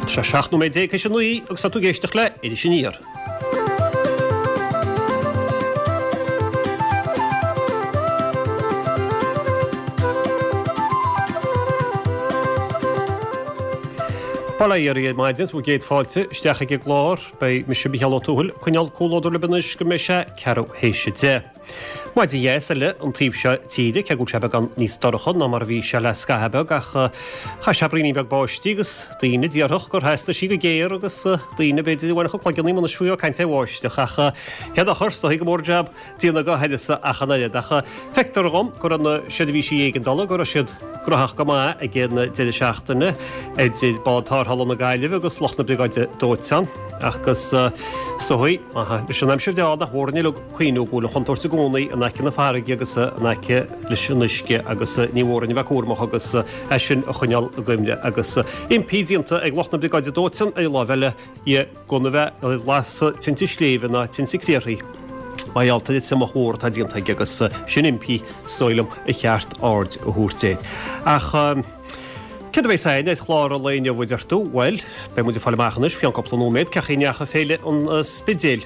Tá sé 17 nóiméad théis a 9 agus tá tú ag éisteacht le Iris Aniar. Bail ó Dhia oraibh ar maidin is bhur gcéad fáilte isteach ag an gclár. Beidh mise Micheál Ó Tuathail ag coinneáil comhluadar libh anois go mbeidh sé ceathrú théis a 10. Maidin dheas eile an taobh seo tíre, cé go bhfuil sé beagán níos dorcha ná mar a bhí sé le scaitheamh beag ach chaith sé braoinín beag báistí agus daoine a déarfadh gur theastaigh sí go géar agus daoine b'fhéidir a bhainfeadh a cloigeann anois faoi ag caint ar bháisteach ach cén dochar, is dóigh go mór an jab déanamh dá huireasa ach an oiread ach feictear dhom go raibh na seirbhísí éigeandála go raibh siad gnóthach go maith ag an deireadh seachtaine idir bád tarrthála na Gaillimhe agus lucht na Briogáide Dóiteáin agus is dóigh leis an aimsir bhreá nach mór uilig cuimhniú go bhfuil an chontúirt i gcónaí in aice na farraige agus in aice leis an uisce agus ní mór dúinn a bheith cúramach agus é sin a choinneáil i gcuimhne agus impí déanta ag lucht na Briogáide Dóiteáin ar an láimh eile dhe gan a bheith ag lasadh tinte sléibhe ná tinte criathraigh mar gheall ar an triomach mhór atá déanta aige agus sin impí is dóigh liom ar cheart aird a thabhairt air. Ach céard a bheas againn ar chlár an lae inniu a deir tú? Bhuel, beidh muid ag fáil amach anois faoi cheann cúpla nóiméad cén chaoi a ndeachaigh Féile an Spidéil.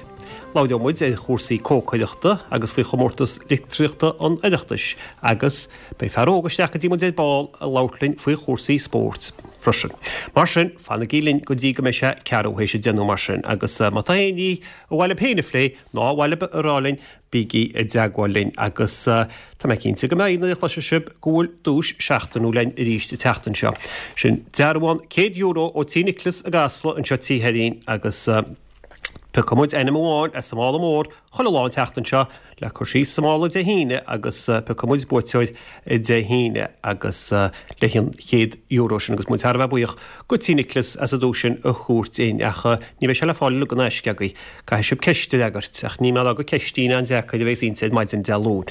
Labhróidh muid ar chúrsaí cócaireachta agus faoi chomórtas litríochta an Oireachtais agus beidh fear óg isteach go dtí muid ar ball ag labhairt linn faoi chúrsaí spóirt freisin. Mar sin, fanaigí linn go dtí go mbeidh sé ceathrú théis a deich nó mar sin agus má tá aon ní ar mhaith libh féin a phlé ná ar mhaith libh a rá linn, bígí i dteagmháil linn agus tá mé cinnte go mbeidh nuair a chloisfidh sibh go bhfuil duais seachtainiúil againn arís an tseachtain seo. Sin dearbhán €100 ó Tí Nicholas i gCasla anseo Tí Sheirfín agus Piocfaidh muid ainm amháin as an mála mór chuile lá an tseachtain seo le cur síos sa mála Dé hAoine agus piocfaidh muid buaiteoir Dé hAoine agus leis an €100 sin agus muid thar a bheith buíoch go Tí Nicholas as an duais sin a thabhairt dúinn ach ní bheidh sé le fáil uilig in aisce agaibh. Caithfidh sibh ceist a fhreagairt ach níl mé ag rá gur ceistín an-deacair a bheas inti ar maidin Dé Luain.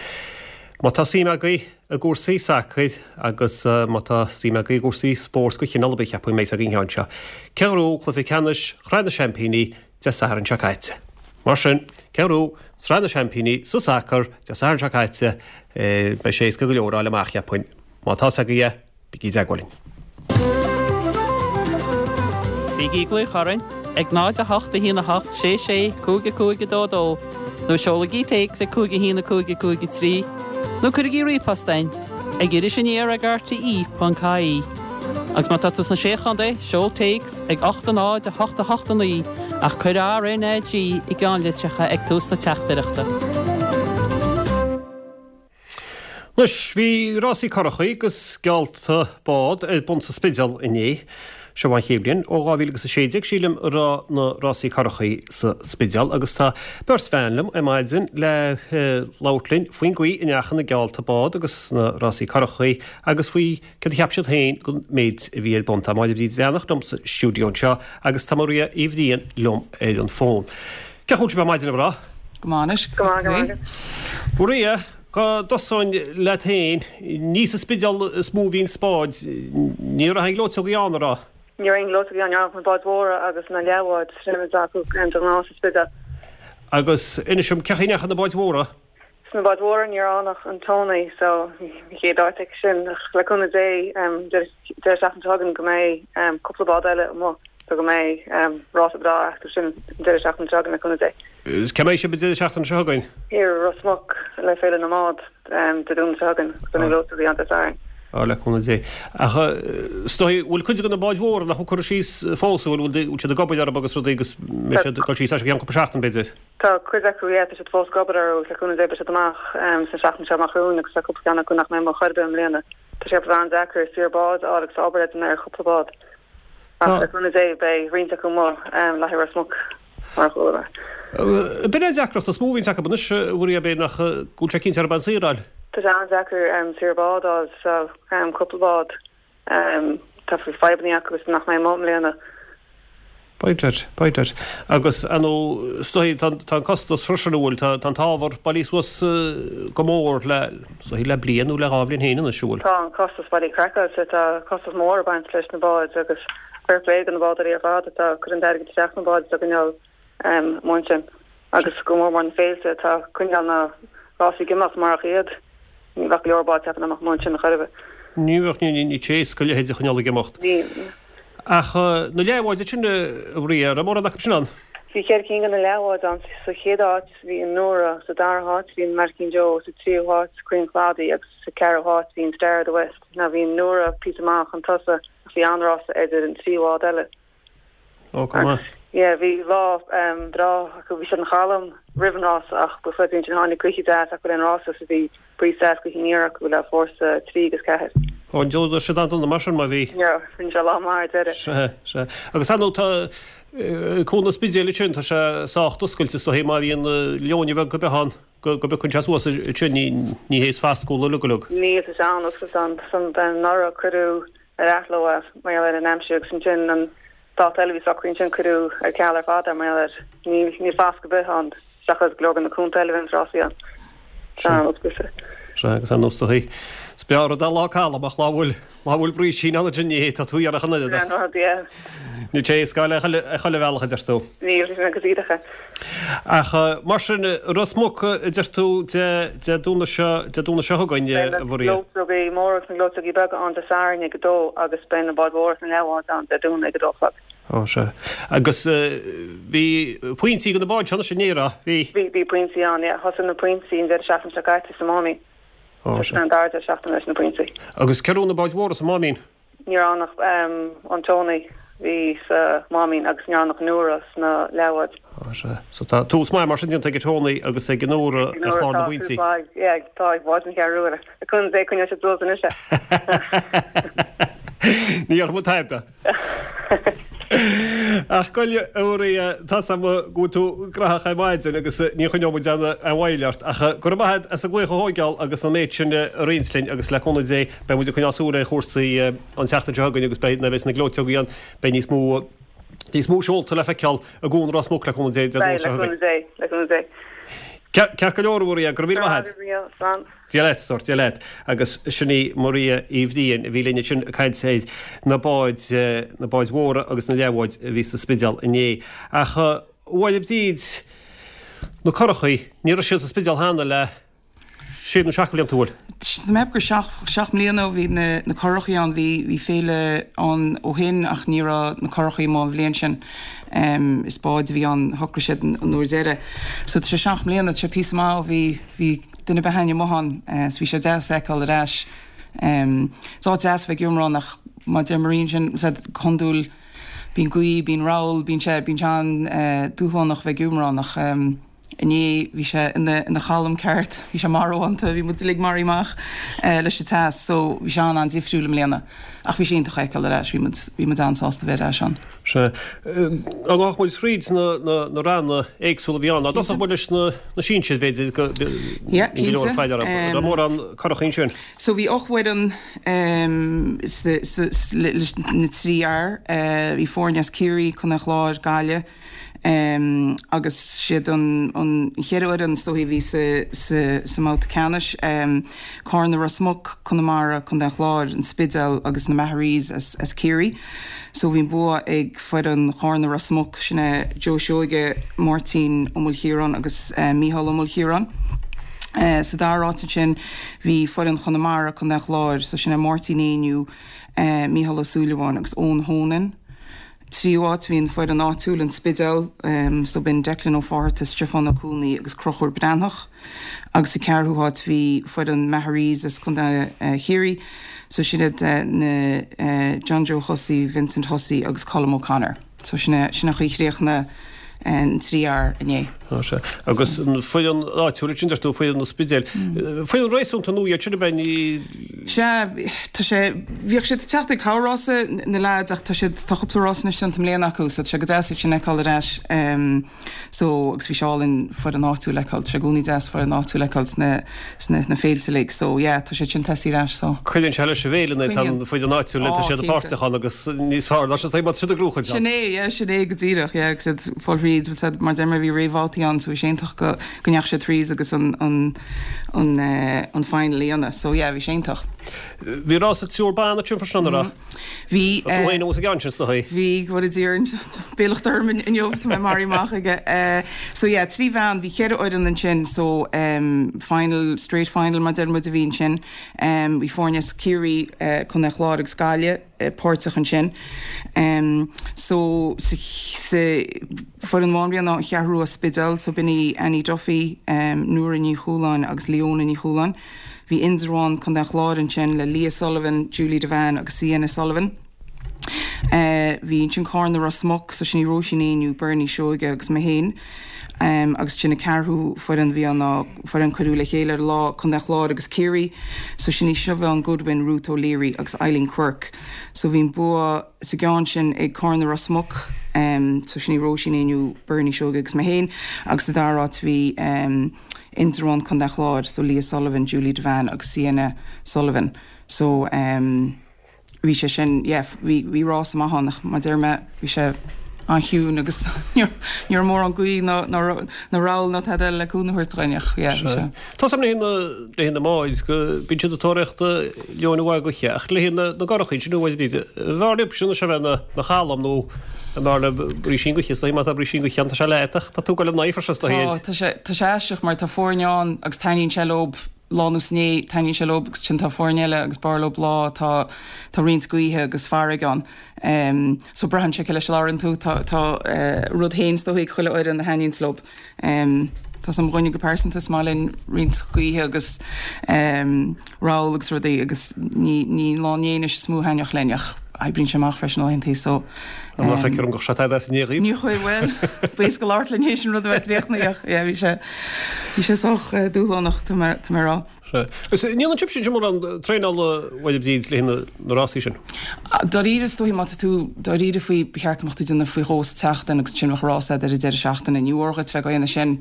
Má tá suim agaibh i gcúrsaí sacair agus má tá suim agaibh i gcúrsaí spóirt de chineál ar bith, cheapfainn go mbeidh fhios agaibh an ceann seo. Cé a ghnóthaigh cluiche ceannais Shraith na Seaimpíní Dé Sathairn seo caite? Mar sin, cé a ghnóthaigh Sraith na Seaimpíní sa sacar Dé Sathairn seo caite? Beidh sé éasca go leor a fháil amach, cheapfainn. Má tá fhios agaibh é, Bígí i dteagmháil linn. Bígí ag glaoch orainn ag 0 8 1 8 6 6 5 5 2 2 nó seolaigí téacs ag 5 1 5 5 3 nó cuirigí ríomhphost chugainn ag irisaniar ag rte.ie. Agus má tá tú sna Sé Chontae, seol téacs ag 8 0 8 8 9 ach cuir RNAG i gceannlitreacha ag tús na teachtaireachta. Anois, bhí rásaí curachaí agus geallta bád ar bun sa Spidéal inné. Seo an chéad bhliain ó 2016, sílim, a raibh na rásaí curachaí sa Spidéal agus tá beirt bhean liom ar maidin le labhairt linn faoin gcaoi a ndeachaigh na geallta bád agus na rásaí curachaí agus faoi céard a cheap siad féin den méid a bhí ar bun. Tá Máire Bhríd Bhreathnach liom sa stiúideo anseo agus tá Maria Uí Bhriain liom ar an bhfón. Cén chaoi a bhfuil sibh ar maidin, a mhná? Go maith anois. Go maith, go maith. Maria, go dtosóinn leat féin, ní sa Spidéal is mó a bhí an báid, ní raibh aon ghleoiteogaí ann, an raibh? Ní raibh aon ghleoiteogaí ann, ní raibh ach na báid mhóra agus na leathbháid, sin an méid acu de ghnáth sa Spidéal. Agus inis dom, cén chaoi a ndeachaigh na báid mhóra? Sna báid mhóra ní raibh ann ach an Tony so an chéad áit aici sin ach le cúnamh Dé deireadh seachtaine seo chugainn go mbeidh cúpla bád eile amuigh so go mbeidh rása breá acu sin an deireadh seachtaine seo chugainn le cúnamh Dé. Cá mbeidh sibh an deireadh seachtaine seo chugainn? Thiar i Ros Muc le Féile na mBád Dé Domhnaigh seo chugainn agus na gleoiteogaí ann Dé Sathairn. Á le cúnamh Dé. Ach is dóigh, bhfuil cuid de na báid mhóra nach bhfuil curtha síos fós, an bhfuil, bhfuil siad ag obair orthu agus rudaí agus mbeidh siad ag dul síos as i gceann cúpla seachtain b'fhéidir? Tá cuid acu, yeah, tá siad fós ag obair orthu agus le cúnamh Dé beidh siad amach sa seachtain seo amach romhainn agus tá cúpla ceann acu nach mbeidh amuigh chor ar bith i mbliana. Tá sé an-deacair saor bád a fháil agus tá obair le déanamh ar chúpla bád. Ach le cúnamh Dé beidh roinnt acu amuigh le haghaidh Ros Muc mar a chuala mé. B'in é an deacracht is mó a bhíonns acu anois, a Mharia, b'fhéidir nach go bhfuil sé cinnte arb an saor a fháil. Tá sé an-deacair saor bád a fháil so cúpla bád. Tá fadhbanna acu agus nach mbeidh amuigh i mbliana. B'fhéidir, b'fhéidir. Agus, ar ndóigh, is dóigh, tá, tá an costas freisin, an bhfuil, tá, tá an t-ábhar bailithe suas go mór le, is dóigh, le bliain nó le dhá bhliain féin anois, an bhfuil? Tá an costas bailithe craiceáilte, tá costas mór ag baint leis na báid agus fair play do na bádóirí ar fad atá ag cur an t-airgead isteach sna báid atá ag coinneáil amuigh ansin agus go mór mór na féilte atá ag coinneáil na rásaí ag imeacht marach iad ní bheadh go leor báid ceapaim amach ansin chor ar bith. Ní bheadh, ní, ní, ní éasca a leithéid a choinneáil ag imeacht. Ní. Ach na leathbháid sin a Mharia, raibh mórán acu sin ann? Bhí cheithre cinn de na leathbháid ann. Sa chéad áit bhí an Nóra, sa dara háit bhí an Maidhcín Joe, sa tríú háit Croí an Chladaigh agus sa ceathrú háit bhí an Star of the West. Now bhí an Nóra píosa maith chun tosaigh ach bhí an-rása idir an trí bhád eile. Ó, go maith. Yeah, bhí lá breá acu. Bhí sé an-chalm roimh an rása ach ba chuid ansin tháinig gaoithe deas acu le an rása so bhí Gaoth deas gaoth aniar acu le fórsa 3 agus 4. Ó, d'fhódar siad an-dona mar sin má bhí. Yeah, rinne sé lá maith ar deireadh. Sea, sea. Agus ar ndóigh tá Cuan an Spidéil ansin, tá sé sách oscailte is dóigh má bhíonn leoithne bheag ar bith ann go bpiocann sé suas ansin, ní hé is fascúil uilig uilig. Níl, tá sé an-oscailte ann. Anuraidh cuireadh ar athló é mar gheall ar an aimsir agus ansin an dáta eile a bhí socraithe ansin cuireadh ar ceal ar fad é mar gheall air. Níl fasc ar bith ann seachas go leor de na cuanta eile a bhíonn rásaí ann. Tá an-oscailte. Sea, agus ar ndóigh is dóigh is breá rud é lá calm ach lá bhfuil lá bhfuil brísín ann ansin ní hé tá tú iarraidh an oiread ach An rud, yeah. níl sé éasca le chuile chuile bhealach a deir tú. Níl, sin go díreach é. Ach mar sin, Ros Muc a deir tú Dé Dé Domhnaigh seo Dé Domhnaigh seo chugainn, Beidh na a Mharia. gleoiteogaí móra agus na gleoiteogaí beaga ann Dé Sathairn ag a dó agus beidh na báid mhóra agus na leathbháid ann Dé Domhnaigh ag a dó a chlog. Ó, sea. Agus bhí pointí do na báid seo anois inné, raibh? Bhí. Bhí, bhí pointí ann, yeah. Thosaigh na pointí an deireadh seachtaine seo caite sa Máimín. Ó, sea. An dara deireadh seachtaine leis na pointí. Agus cé raibh na báid mhóra sa Máimín? Ní raibh ann ach an Tony bhí sa Máimín agus ní raibh ann ach Nóra sna leathbháid. Ó, sea. So tá tús maith mar sin déanta ag Tony agus ag Nóra ar chlár na bpointí. Tá tús maith, yeah, tá ag báid na Ceathrú Rua. Le cúnamh Dé coinneoidh siad suas anois é. Ní dhéarfaidh muid tada. Ach bhuel, a Mharia, tá's a'm go bhfuil tú graitheach ar maidin agus ní choinneoidh muid aon mhoill ort ach go raibh maith agat as an glaoch a thóigeáil agus an méid sin a roinnt linn agus le cúnamh Dé beidh muid ag coinneáil súil ar chúrsaí an tseachtain seo chugainn agus beidh nuair a bheas na gleoiteogaí ann beidh níos mó níos mó seolta le feiceáil i gCuan Ros Muc le cúnamh Dé Dé Domhnaigh seo chugainn. Beidh, le cúnamh Dé, le cúnamh Dé. Ceart go leor, a Mharia, go raibh míle maith agat. Go raibh maith agat, slán. Dia leat, stór, Dia leat. Agus sin í Maria Uí Bhriain a bhí linn ansin ag caint ar na báid, na báid mhóra agus na leathbháid a bhí sa Spidéal inné. Ach a Mháire Bríd, na curachaí, ní raibh siad sa Spidéal cheana le sé nó seacht de bhlianta, an bhfuil? Tá mé ag ceapadh gur seacht, seacht mbliana ó bhí na, na curachaí ann. Bhí, bhí féile ann ó shin ach ní raibh na curachaí amuigh an bhliain sin. Is báid a bhí ann, shocraigh siad an uair deiridh. So tá sé seacht mbliana, tá sé píosa maith ó bhí, bhí duine ar bith againn amuigh ann so bhí sé deas a fheiceáil ar ais. Is áit deas a bheith ag iomrá ann ach mar a deir Maria ansin, go hiondúil bíonn gaoth, bíonn rabhal, bíonn sé, bíonn sé an-dúshlánach bheith ag iomrá ann ach inné bhí sé ina, ina chalm ceart, bhí sé marbhánta, bhí muid uilig maraithe amach leis an teas so bhí sé an-an-difriúil i mbliana ach bhí sé iontach a fheiceáil ar ais, bhí muid, bhí muid an-sásta bheith ar ais ann. Sea. An ngabhfadh muid thríd na ranna éagsúla a bhí ann? Dá dtosódh muid leis na sinsir, b'fhéidir, go Yeah, go leor cinnte. faill orthu. Raibh mórán curachaí ansin? So bhí 8 bhfoireann leis na trí fhear. Bhí foirne as Ciarraí, Contae an Chláir, Gaillimh agus siad an cheithre fhoireann is dóichí a bhí sa mbabhta ceannais, Cárna Ros Muc, Conamara, Contae an Chláir, An Spidéal agus na Maharees as Ciarraí. So bhí an bua ag foireann Chárna Ros Muc, sin é Joe Seoige, Máirtín Ó Maoilchiaráin agus Mícheál Ó Maoilchiaráin. Sa dara háit ansin bhí foireann Chonamara, Contae an Chláir, so sin é Máirtín Éinniú, Mícheál Ó Súilleabháin agus Eoin Honan. Tríú háit bhí an foireann áitiúil, An Spidéal, so b'in Declan Ó Fátharta, Stiofán Ó Cuanaigh agus Conchúr Breathnach. Agus sa ceathrú háit bhí foireann Maharees as Contae Chiarraí, so sin iad na John Joe Hussey, Vincent Hussey agus Colm O'Connor. So sin é, sin an chaoi a chríochnaigh an trí fhear inné. Á sea. Agus an foireann áitiúil ansin, deir tú, foireann an Spidéil. Foireann réasúnta nua iad sin, ab ea? Ní. Sea, tá sé, bhíodh siad ag teacht ag corr-rása, na leaids, ach tá siad, tá cúpla rás anois déanta i mbliana acu, so tá sé go deas iad sin a fheiceáil ar ais. So, agus bhí sé álainn foireann áitiúil a fheiceáil, tá sé i gcónaí deas foireann áitiúil a fheiceáil sna, sna, sna féilte uilig, so yeah, tá siad sin tosaithe ar ais, so. Cuireann sé leis an bhféile nuair atá an foireann áitiúil, tá siad páirteach ann agus níos fearr ná siad, má tá siad ag gnóthachan. Sin é, yeah, sin é go díreach, yeah, agus iad ag fáil thríd, mar deir mé bhí réamhbhabhtaí ann, so bhí sé iontach go, go ndeachaigh siad thríd agus an, an, an, an final a dhéanamh, so yeah, bhí sé iontach. Bhí rása triúr ban ansin freisin, an raibh? Bhí. Tá tú féin amuigh sa gceann sin, is dóigh. Bhí, go bhfóire Dia orainn, beannacht orm inniu, tá mé maraithe amach aige. So yeah, 3 bhean, bhí cheithre fhoireann ansin, so final, straight final mar deir muid a bhí ansin. Bhí foirne as Ciarraí, Contae an Chláir agus Gaillimh páirteach ansin. So sa foireann amháin a bhí ann ná an Cheathrú Rua Spidéal, so b'in í Annie Duffy, Nóra Ní Chualáin agus Leona Ní Chualáin. Bhí Indreabhán, Contae an Chláir ansin le Leah Sullivan, Julie Devane agus Sienna Sullivan. Bhí ansin Cárna Ros Muc, so sin í Róisín Éinniú, Bernie Seoige agus mé féin. Agus ansin an ceathrú foireann a bhí ann ná foireann cuireadh le chéile ar an lá, Contae an Chláir agus Ciarraí, so sin í Siobhán Goodwin, Ruth O'Leary agus Eileen Quirke. So bhí an bua sa gceann sin ag Cárna Ros Muc, so sin í Róisín Éinniú, Bernie Seoige agus mé féin, agus sa dara háit bhí Indreabhán, Contae an Chláir, so Leah Sullivan, Julie Devane agus Sienna Sullivan. So bhí sé sin, yeah, bhí, bhí rása maith ann ach mar deir mé, bhí sé an-chiúin agus ní raibh mórán gaoth ná, ná, ná rabhal ná tada eile le cúnamh a thabhairt dhúinn ach yeah, bhí sé. Tá 's agam le haghaidh na mbáid go mbíonn siad ag tóraíocht leoin mhaith gaoithe ach le haghaidh na na gcurachaí sin bhfuil bíd bhfearr libh sin sé bheith na chalm nó an bhfearr libh brísín gaoithe is má tá brísín gaoithe ann tá sé leat ach tá tú ag dul in aghaidh freisin is dóigh. Tá, tá sé, tá sé aisteach mar tá foirne ann agus taitníonn sé leob lá nó sa ndiaidh, taitníonn sé leob agus ansin tá foirne eile agus b'fhearr leob lá tá, tá roinnt gaoithe agus farraige ann. So braitheann sé cé leis a labhrann tú, tá, tá rud féin is dóigh ag chuile fhoireann a thaitníonns leob. Tá 's agam dhúinne go pearsanta is maith linn roinnt gaoithe agus rabhal agus rudaí agus ní ní lá an léinis is mó a thaitneodh linn ach oibríonn sé amach freisin laethantaí so. Ná feictear dom go raibh sé tada as i ndiaidh dhaoibh. Ní chuir, bhuel, b'éasca labhairt linn théis an rud a bheith críochnaithe ach yeah bhí sé bhí sé sách dúshlánach tá mé tá mé a rá. Sea. Agus an ndéanann sibhse mórán traenála a Mháire Bríd le haghaidh na rásaí sin? Dáiríre is dóichí má tá tú dáiríre faoi ba cheart go mbeadh tú ag déanamh faoi dhó sa tseachtain agus ansin bheadh rás agat ar an deireadh seachtaine. Ní mhór dhuit bheith ag déanamh sin.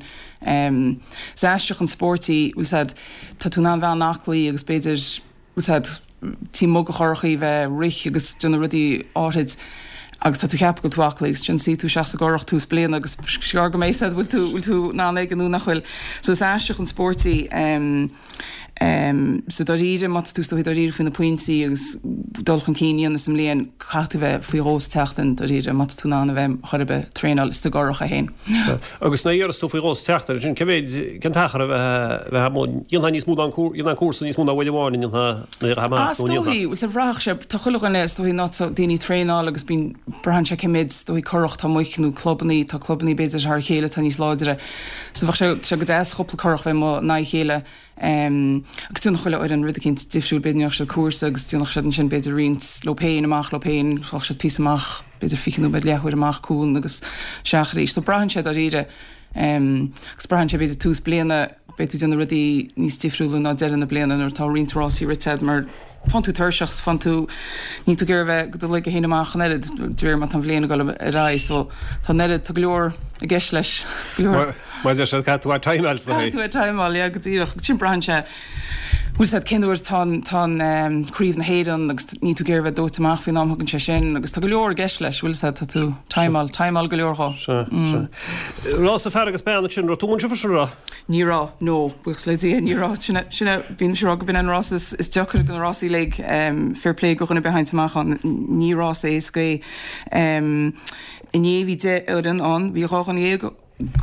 Is aisteach an spórt í, bhfuil 's a'd, tá tú in ann bheith an-aclaí agus b'fhéidir, bhfuil 's a'd, taobh amuigh de churachaí bheith ag rith agus déanamh rudaí áithrid agus tá tú ag ceapadh go bhfuil tú aclaí agus ansin suífidh tú isteach sa gcurach tús bliana agus is gearr go mbeidh 'fhios a'd bhfuil tú bhfuil tú in ann aige nó nach bhfuil. So is aisteach an spórt í. So dáiríre má tá tú is dóichí dáiríre faoi na pointí agus dul chun cinn a dhéanamh sa mbliain caithfidh tú bheith faoi dhó sa tseachtain dáiríre má tá tú in ann a bheith chor ar bith traenáil sa gcurach é féin. Agus nuair a deireas tú faoi dhó sa tseachtain, sin cé mhéid, cén t-achar a bheith amuigh, dhéanfá níos mó ná an dhéanfá an cúrsa níos mó ná uair amháin an ndéanfá nuair a amach nó an ndéanfá? Is dóichí, bhuel bhraithfeadh sé, tá chuile dhuine is dóichí ná tá daoine ag traenáil agus bíonn, braitheann sé cé méid is dóichí curach atá amuigh nó clubannaí, tá clubannaí b'fhéidir thar a chéile atá níos láidre. So bheadh sé, tá sé go deas cúpla curach bheith amuigh in aghaidh a chéile. Agus déanadh chuile fhoireann rud eicínt difriúil, b'fhéidir ndéanfadh siad cúrsa agus déanfadh siad ansin b'fhéidir roinnt leo féin, amach leo féin, ghabhfadh siad píosa amach, b'fhéidir 20 nóiméad, leathuair amach cuan agus isteach arís. So braitheann sé dáiríre. Agus braitheann sé b'fhéidir tús bliana, beidh tú ag déanamh rudaí níos difriúla ná deireadh na bliana nuair atá roinnt rásaí rite agat mar faigheann tú tuirseach 's faigheann tú, níl tú ag iarraidh bheith ag dul ag féin amach an oiread de réir mar tá an bhliain ag dul ar aghaidh so tá an oiread, tá go leor i gceist leis, go leor. Mar deir siad, caithfidh tú a timeáil sna Caithfidh tú a timeáil, yeah, go díreach. Sin braitheann sé, bhfuil 's a'd cén uair tá an, tá an Craobh na hÉireann agus níl tú ag iarraidh bheith dóite amach faoin am a thugann sé sin agus tá go leor i gceist leis, bhfuil 's a'd, tá tú timeáil, timeáil go leor dhó. Sea, sea. Rása fear agus bean ansin, raibh tú ansin freisin, raibh? Ní raibh, no, buíochas le Dia, ní raibh. Sin é, sin é, bímse ag rá go b'in é an rás is, is deacair de na rásaí uilig. Fair play do dhuine ar bith a théanns amach ann, ní rás éasca é. Inné bhí 10 fhoireann ann, bhí 12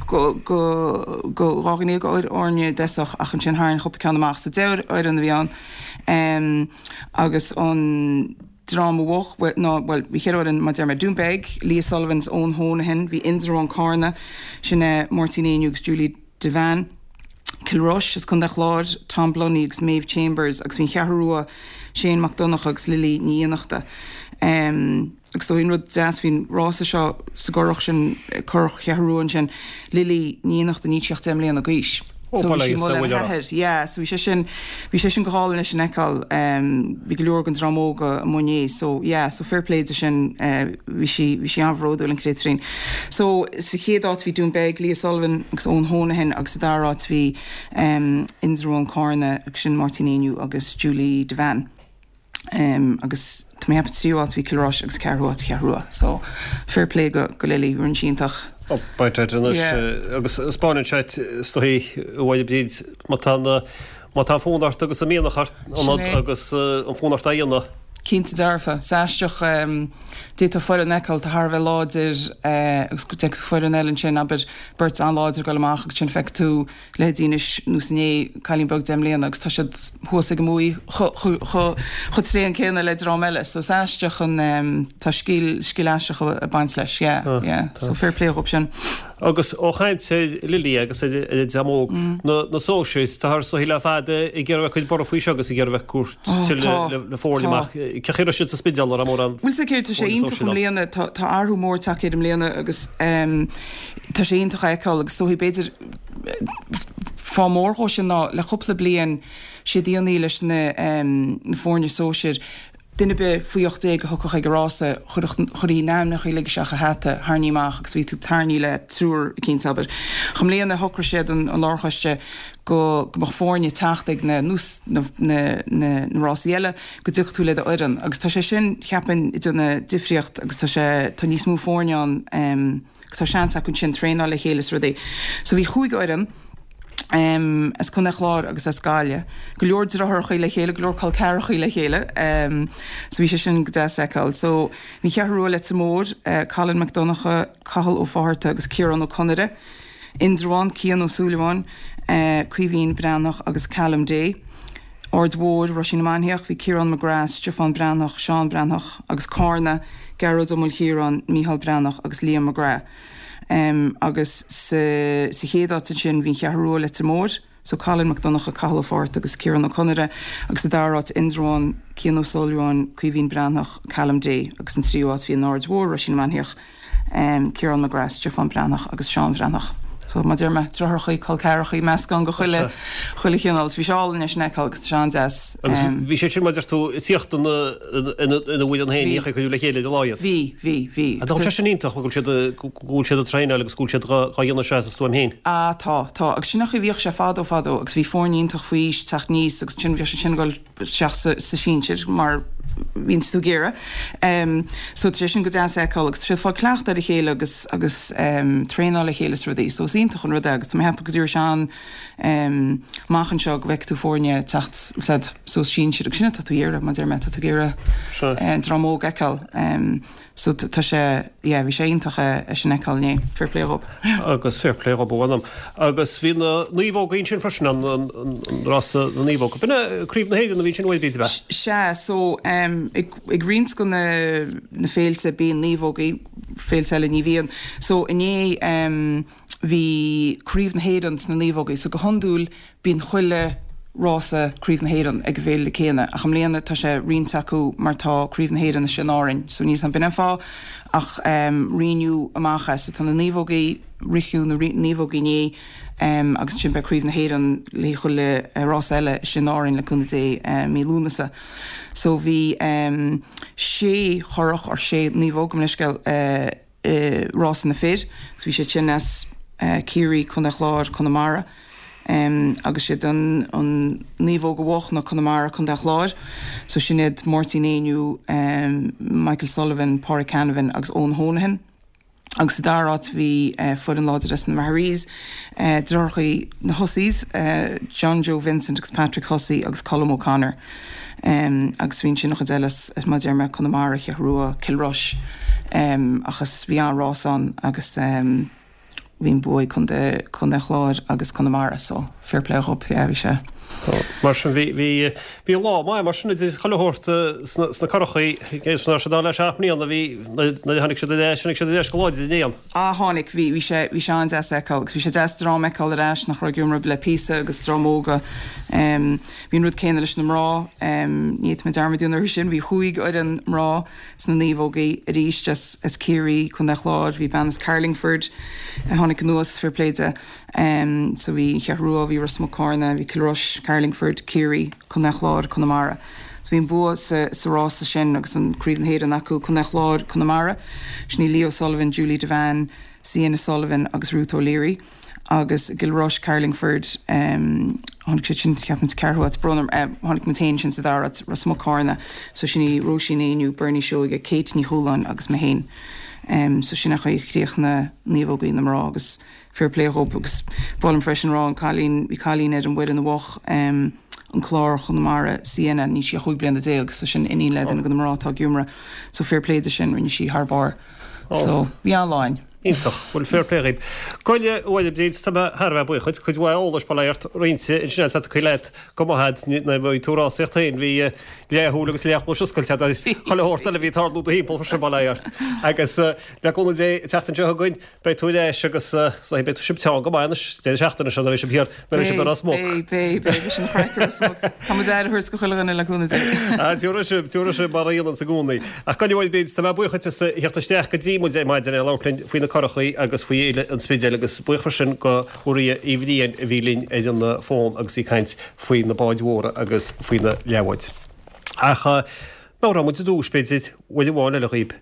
go, go, go, 12 fhoirne i dtosach ach ansin tharraing cúpla ceann amach. So 10 fhoireann a bhí ann. Agus an dream a bhuaigh, ná, bhuel, bhí cheithre fhoireann, mar a deir mé, Doonbeg, Leah Sullivan is Eoin Honohan, bhí Indreabhán Cárna, sin é Máirtín Éinniú agus Julie Devane, Kilrush as Contae an Chláir, Tom Blunny agus Maeve Chambers agus bhí an Cheathrú Rua, Shane Mac Donncha agus Lily Ní Fhiannachta. Agus is dóigh an rud deas faoin rása seo sa gcurach sin, curach Cheathrú Rua ansin, Lily Ní Fhiannachta, níl sí ach 10 mbliana d'aois. So bhí sí amuigh lena hathair. Yeah, so bhí sé sin, bhí sé sin go hálainn leis sin a fheiceáil. Bhí go leor den dream óg amuigh inné. So yeah, so fair play di sin, bhí sí, bhí sí an-bhródúil an créatúirín. So sa chéad áit bhí Doonbeg, Leah Sullivan agus Eoin Honohan agus sa dara háit bhí Indreabhán Cárna agus sin Máirtín Éinniú agus Julie Devane. Agus tá mé ag ceapadh tríú áit bhí Kilrush agus ceathrú áit Cheathrú Rua. So fair play go go Lily, rinne sí iontach. Ó beidh sé anois agus 'spáineann sé is dóigh a Mháire Bríd má tá na. Má tá fonn ort agus an mianach ort ionat agus an fonn ort é a dhéanamh. Cinnte dearfa. Is aisteach, d'fhéadfá foireann a fheiceáil atá thar a bheith láidir agus go bhfeicfidh tú foireann eile ansin, abair, beirt an-láidir ag dul amach agus ansin feicfidh tú leithéidí anois nós inné, cailín beag 10 mbliana agus tá siad thuas ag an mbuaidh chomh tréan céanna le dream eile. So is aisteach an, tá scil, scil aisteach ag baint leis, yeah, yeah. So fair play dhóibh sin. Agus ó chaint ar Lily agus ar an dream óg, na sóisir, táthar is dóichí le fada ag iarraidh a bheith ag cur borradh faoi seo agus ag iarraidh a bheith ag tabhairt tuilleadh le foirne amach. Cén chaoi a raibh siad sa Spidéal, an raibh mórán Bhuel, sea, tá sé iontach i mbliana, tá athrú mór tagtha air i mbliana agus tá sé iontach a fheiceáil agus is dóichí b'fhéidir fáth mór dhó sin ná le cúpla bliain sé déanaí leis na foirne sóisir, Duine ar bith faoi 18 a thiocfadh ag an rása, chuirfí a n-ainmneacha uilig isteach i hata, tharraingí amach agus bhí tú tarraingthe le triúr eicínt, abair. Ach i mbliana shocraigh siad, an lárchoiste, go mbeadh foirne ag teacht ag na, nós na, na, na rásaí eile, go dtiocfadh tú le do fhoireann. Agus tá sé sin, cheapfainn, ag déanamh difríocht agus tá sé, tá níos mó foirne ann, agus tá seans acu ansin traenáil le chéile is rudaí. So bhí chúig fhoireann. as Contae an Chláir agus as Gaillimh. Go leor deartháireachaí le chéile, go leor col ceathrachaí le chéile. So bhí sé sin go deas a fheiceáil. So bhí an Cheathrú Rua Leitir Móir, Colin Mac Donncha, Cathal Ó Fátharta agus Ciarán Ó Conaire, Indreabhán, Cian Ó Súilleabháin, Caoimhín Breathnach agus Callum Day. Aird Mhór, Roisín na Mainíoch, bhí Ciarán McGrath, Stiofán Breathnach, Seán Breathnach agus Cárna, Gearóid Ó Maoilchiaráin, Mícheál Breathnach agus Liam McGrath. Agus sa chéad áit ansin bhí an Cheathrú Rua, Leitir Móir, so Colin Mac Donncha, Cathal Ó Fátharta agus Ciarán Ó Conaire, agus sa dara háit Indreabhán, Cian Ó Súilleabháin, Caoimhín Breathnach, Callum Day, agus an tríú háit bhí an Aird Mhór, Roisín na Mainíoch, Ciarán McGrath, Stiofán Breathnach agus Seán Breathnach. So mar a deir mé, deartháireachaí, col ceathrachaí, meascán de chuile, chuile chineál. So bhí sé álainn é sin a fheiceáil agus tá sé an-deas. Agus bhí sé sin, mar a deir tú, ag tíocht ina, ina bhfoireann féin, ní ag cuidiú le chéile ar a laghad. Bhí, bhí, bhí. Tá sé sin iontach go bhfuil siad, go bhfuil siad ag traenáil agus go bhfuil siad dhá dhéanamh seo as a stuaim féin. Ah tá, tá. Agus sin an chaoi a bhíodh sé fadó fadó agus bhí foirne iontach faoi aois ag teacht aníos agus ansin bhíodh siad sin ag dul isteach sa sinsir mar bhíonn tú ag iarraidh. So tá sé sin go deas a fheiceáil agus tá siad ag fáil cleachtadh ar a chéile agus agus traenáil le chéile is rudaí. So is iontach an rud é agus tá mé ag ceapadh go dtabharfaidh sé an amach anseo go bhfeicfidh tú foirne ag teacht said suas sinsir agus sin atá tú ag iarraidh mar a deir mé tá tú ag iarraidh dream óg a fheiceáil. So tá sé, yeah, bhí sé iontach é sin a fheiceáil inné. Fair play dhób. Agus fair play dhób, a mh'anam. Agus bhí na naomhógaí ansin freisin, an rása na naomhóg. B'in é Craobh na hÉireann a bhí ansin uair b'fhéidir, ab ea? Sea, so ag ag roinnt de na na féilte bíonn naomhógaí, féilte eile ní bhíonn. So inné bhí Craobh na hÉireann sna naomhógaí. So go hiondúil Bíonn chuile rása Craobh na hÉireann ag an bhféile céanna ach i mbliana tá sé roinnte acu mar tá Craobh na Héireann istigh in Árainn so níl 's a'm b'in an fáth ach roinneadh amach é so tá na naomhógaí ritheadh na naomhógaí inné agus ansin beidh Craobh na hÉireann le chuile rása eile istigh in Árainn le cúnamh Dé mí Lúnasa. So bhí sé churach or sé naomhóg gabh mo leithscéal i rása na fir agus bhí siad sin as Ciarraí, Contae Chláir, Conamara agus siad an naomhóg a bhuaigh ná Conamara, Contae Chláir. So sin iad Máirtín Éinniú, Michael Sullivan, Pádraig Canavan agus Eoin Honohan. Agus sa dara háit bhí foireann láidir as na Maharees, deartháireachaí na Husseys, John Joe Vincent agus Patrick Hussey agus Colm O'Connor. Agus bhí ansin an chuid eile as, mar a deir mé, Conamara, Cheathrú Rua, Cill Rois. Ach is, bhí an-rás ann agus bhí an bua ag Contae, Contae Chláir agus Conamara so fair play dhób, yeah bhí sé. Mar sin bhí, bhí, bhí lá maith mar sin idir chuile shórt sna, sna curachaí, is ná siad le 7 mbliana bhí, nuair a tháinig siad ar ais, tháinig siad ar ais go láidir in aon. Ah tháinig, bhí, bhí sé, bhí sé an-deas a fheiceáil agus bhí sé deas dream a fheiceáil ar ais nach raibh ag imirt le píosa agus dream óga. Bhí an rud céanna leis na mná, ní fhéadfaidh mé dearmad a dhéanamh orthu sin, bhí chúig fhoireann mná sna naomhógaí arís as, as Ciarraí, Contae Chláir, bhí bean as Carlingford a tháinig anuas, fair play di. So bhí an Cheathrú Rua, bhí Ros Muc Cárna, bhí Cill Rois, Carlingford, Ciarraí, Contae Chláir, Conamara. So bhí an bua sa, sa rása sin agus an Craobh na hÉireann acu, Contae Chláir, Conamara. Sin í Leo Sullivan, Julie Devane, Sienna Sullivan agus Ruth O'Leary. Agus i gCill Rois, Carlingford, tháinig siad sin, ceapaim, sa ceathrú háit, brón orm, tháinig muid féin sin sa dara háit, Ros Muc Cárna. So sin í Róisín Éinniú, Bernie Seoige, Kate Ní Chualáin agus mé féin. So sin an chaoi a chríochnaigh naomhógaí na mná agus. Fair play dhób agus ba mhaith liom freisin rá an cailín, bhí cailín ar an bhfoireann a bhuach an clár Chonamara Sienna, níl sí ach 15 bliana so sin iníon le duine de na mná atá ag iomramh so fair play di sin, rinne sí thar barr. So bhí an-lá againn. Iontach. Bhuel fair play dhaoib. Gabh i leith, a Mháire Bríd, tá mé thar a bheith buíoch duit. Cuid mhaith eolais bail ort roinnte ansin agat tacaí leat go maith agat nuair a bhí tú ag rásaíocht féin bhí leathshúil agus leathchluais oscailte agat ar chuile shórt eile a bhí ag tarlú do thimpeall freisin bail ort. Agus le cúnamh Dé an tseachtain seo chugainn Beidh tú ar ais agus beidh tú sibh teann go maith anois deireadh seachtaine seo nuair a bheidh sibh thiar nuair a bheidh sibh ar Ros Muc. Beidh, beidh, beidh, beidh sin craic ar Ros Muc. Tá muid aire a thabhairt go chuile dhuine le cúnamh Dé. Ah, tiúrfaidh sibh, tiúrfaidh sibh mar a dhéananns i gcónaí. Ach go leor bíd, tá mé buíoch duit as a theacht isteach go dtí muid ar maidin ag labhairt linn faoi na curachaí agus faoi Fhéile an Spidéil agus buíoch freisin go Mharia Uí Bhriain a bhí linn ar an bhfón agus í ag caint faoi na báid mhóra agus faoi na leathbháid. Ach meabhróidh muid i dtús, b'fhéidir, uair amháin eile dhaoib.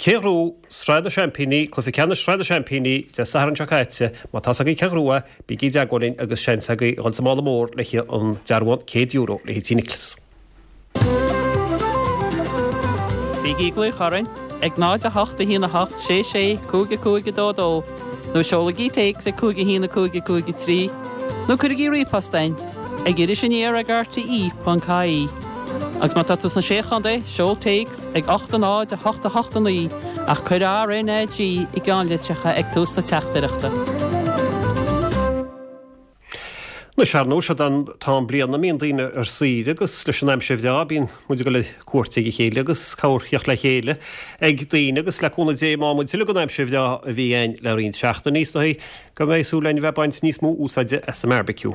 Cé ghnóthaigh Sraith na Seaimpíní, Cluiche Ceannais Shraith na Seaimpíní, Dé Sathairn seo caite? Má tá's agaibh cé ghnóthaigh é, bígí i dteagmháil linn agus seans agaibh a dhul sa mála mór le haghaidh an dearbhán €100 le haghaidh Tí Nicholas. Bígí ag glaoch orainn ag 0 8 1 8 6 6 5 5 2 2 nó seolaigí téacs ag 5 1 5 5 3 nó cuirigí ríomhphost chugainn ag irisaniar ag rte.ie. Agus má tá tú sna Sé Chontae, seol téacs ag 8 0 8 8 9 ach cuir RNAG i gceannlitreacha ag tús na teachtaireachta. Anois, ar ndóigh, seo an t-am bliana a mbíonn daoine ar saoire agus leis an aimsir bhreá bíonn muid ag dul ar cuairt ag a chéile agus cabhair theacht le chéile ag daoine agus le cúnamh Dé má muid tuilleadh den aimsir bhreá a bhí againn le roinnt seachtainí is dóigh go mbeidh súil againn a bheith ag baint níos mó úsáide as an mbearbaiciú.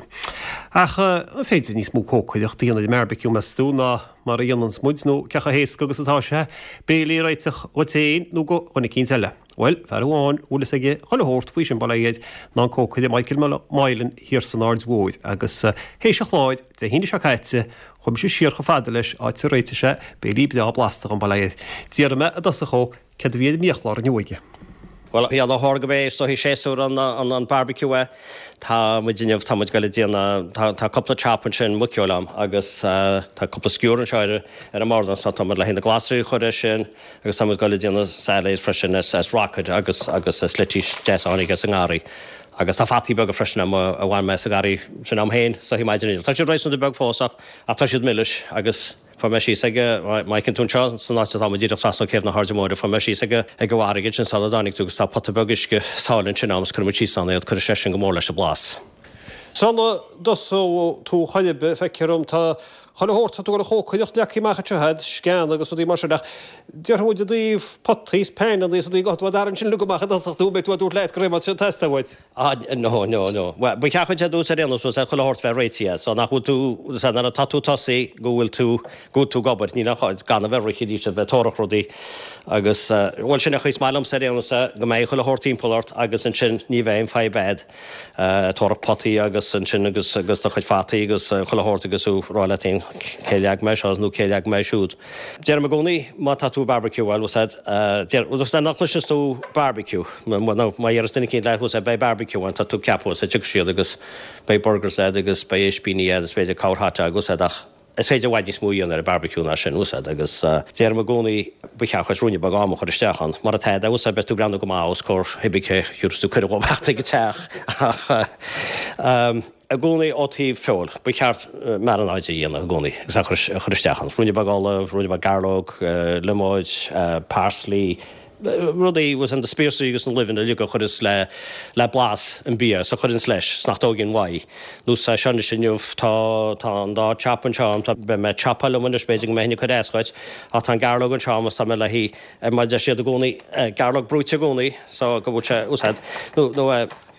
Ach an féidir níos mó cócaireacht a dhéanamh ar an mbearbaiciú, meas tú, ná mar a dhéananns muid, nó cé chomh héasca agus atá sé béilí a réiteach dhuit féin nó do dhuine eicínt eile? Bhuel, fear amháin a bhfuil fhios aige chuile shórt faoi sin, bail ó Dhia air, ná an cócaire Michael Moylan thiar san Aird Mhóir agus théis an chláir Dé hAoine seo caite, chuaigh mise siar chomh fada leis, áit a réitigh sé béilí breá blasta dhom, bail ó Dhia air. D'fhiafraigh mé i dtosach dhó Céard a bhí ar an mbiachlár inniu aige? Bhuel, a Mhichíl, gurb é is dóichí séasúr an barbecue é. Tá muid inniu, tá muid ag goil a déanamh, tá cúpla chop ansin, muiceoil a'm agus tá cúpla skewer anseo ar an mbord anso, tá muid le haghaidh na glasraí a chur air sin agus tá muid ag goil a déanamh salad freisin as rocket agus agus as leitís deas a tháinig as an ngarraí. Agus tá fataí beaga freisin a'm a bhain mé sa gharraí sin a'm féin is dóichí maidin inniu. Tá siad réasúnta beag fós ach ach tá siad milis agus. Fuair mé síos ag, má fheiceann tú anseo san áit atá muid díreach trasna ó Céibh na hAirde Móire, fuair mé síos ag ag an bhfarraige ansin sula dtáinig tú agus tá pota beag uisce sáile ansin a'm is cuireann muid síos ann iad, cuirfidh sé sin go mór leis an blas. Sula dtosóidh tú chor ar bith, feictear dom, tá chuile shórt, tá tú ag dul a chócaireacht leagtha amach anseo a'd, sceana agus rudaí mar sin ach déarfaidh muid i dtaobh potaí is panannaí is rudaí, gabhfaidh tú a tharraingt sin uilig amach i dtosach nó an mbeidh tú á dtabhairt leat go réidh má tá sé ag teastáil uait. Ah, no, no, no. Bhuel, ba cheart duit ar dtús ar aon nós, chuile shórt bheith réitithe, so nach bhfuil tú, so nuair atá tú tosaí go bhfuil tú, go bhfuil tú ag obair, níl aon chás, gan a bheith ag rith arís a bheith tórach rudaí agus, bhuel, sin é an chaoi is maith liomsa ar aon nós, go mbeidh chuile shórt timpeall ort agus ansin ní bheidh aon fadhb a'd, tórach potaí agus ansin agus, agus do chuid fataí agus chuile shórt agus tú ag rá leat féin cé leag mé seo nó cé leag mé siúd. Deirim i gcónaí má tá tú ag barbecue, bhuel, bhfuil 's a'd, deir, bhuel, nach gcloiseanns tú barbecue, nó má dheireas duine eicínt leat, bhfuil 's a'd, beidh barbecue ann, tá tú ag ceapadh, bhfuil 's a'd, tiocfaidh siad agus beidh burgers a'd agus beidh ispíní a'd is b'fhéidir corr hot dog, bhfuil 's a'd, ach is féidir i bhfad níos mó a dhéanamh ar an barbecue ná sin, bhfuil 's a'd, agus deirim i gcónaí ba cheart dhuit ruainne beag ama a chur isteach ann, mar atá, bhfuil 's a'd, beidh tú ag breathnú go maith os comhair cibé cé thiúrfas tú cuireadh dhóibh theacht ag an teach ach. I gcónaí ó taobh feoil, ba cheart marannáid a dhéanamh i gcónaí agus a chur isteach ann. Ruainne beag ola, ruainne beag gairleog, liomóid, parsley, rudaí, bhfuil 's a'd, na spíosraí agus na luibheanna uilig a chuireas le le blas an bia is a chuireanns leis 's nach dtóigeann uaidh. Nó sa seo anois inniu tá tá an dá chop anseo a'm, tá beidh mé ag chopáil liom anois b'fhéidir go mbeidh ag cur as dhuit ach tá an gairleog anseo a'm is tá mé le haghaidh mar deir siad i gcónaí gairleog brúite i gcónaí so go bhfuil sé úsáid nó nó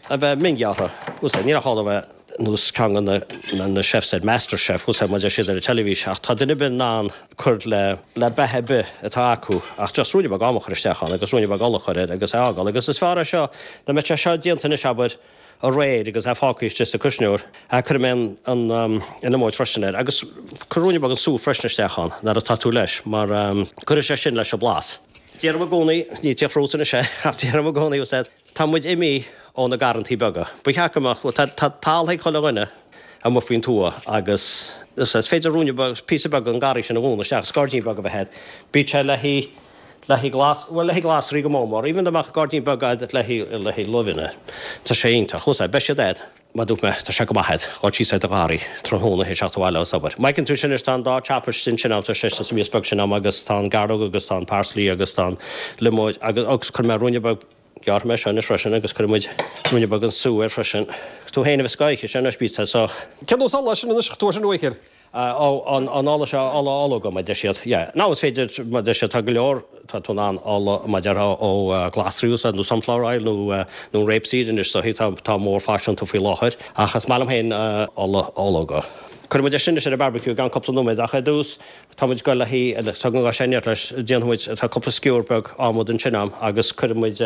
a bheith mionghearrtha, bhfuil 's a'd, níl aon chall a bheith nós ceann de na chefs ar Masterchef, bhfuil 's a'd, mar deir siad ar an teilifís, ach tá duine ar bith in ann cur le le beatha ar bith atá acu ach just ruainne beag ama a chur isteach ann agus ruainne beag ola a chur air agus é a fhágáil agus is fearr é seo dá mbeadh sé seo déanta anois abair aréir agus é fágtha istigh sa cuisneoir cuirfidh mé an an an liomóid freisin air agus cuir ruainne beag an sú freisin isteach ann nuair atá tú leis mar cuirfidh sé sin leis an blas. Deirim i gcónaí, ní teach rút anois é ach deirim i gcónaí, bhfuil 's a'd, Tá muid imithe ó na garrantaí beaga. Ba cheart go mbeadh, bhuel, tá talamh ag chuile dhuine amuigh faoin tuath agus is féidir ruainne beag, píosa beag den garraí sin a dhúnadh isteach agus gairdín beag a bheith agat. Bíodh sé le haghaidh, Le haghaidh glas, bhuel le haghaidh glasraí go mór mór, even dá mbeadh gairdín beag agat le haghaidh, le haghaidh luibheanna, tá sé iontach. Bhfuil 's a'd, beidh siad a'd. Mar dúirt mé, tá sé go maith a'd, dhul síos ar do gharraí tráthnóna théis theacht abhaile as obair. Má fheiceann tú sin anois, tá an dá chop istigh ansin a'm, tá sé sa mias beag sin a'm agus tá an gairleog agus tá an parsley agus tá an liomóid agus, agus cuirfidh mé ruainne beag, gearrfaidh mé seo anois freisin agus cuirfidh muid ruainne beag den sú air freisin. Tú féin a bheas ag ithe seo anois, bíodh sé so. Cén nós ola sin anois, tú ar sin a Mhichíl? Ó, an ola seo, ola ológa, mar deir siad. Yeah. Now is féidir, mar deir siad, tá go leor, tá tú in ann ola, mar déarfá, ó ghlasraí a úsáid nó sunflower oil nó nó rapeseed anois, so tá, tá mórfhaiseanta faoi láthair. Ach is maith liom féin ola ológa. Cuirfidh muid é sin anois ar an barbecue i gceann cúpla nóiméad ach ar dtús tá muid ag dul le haghaidh, tá go sé neart leis, déanfaidh muid, tá cúpla sciúr beag adhmad ansin a'm agus cuirfidh muid,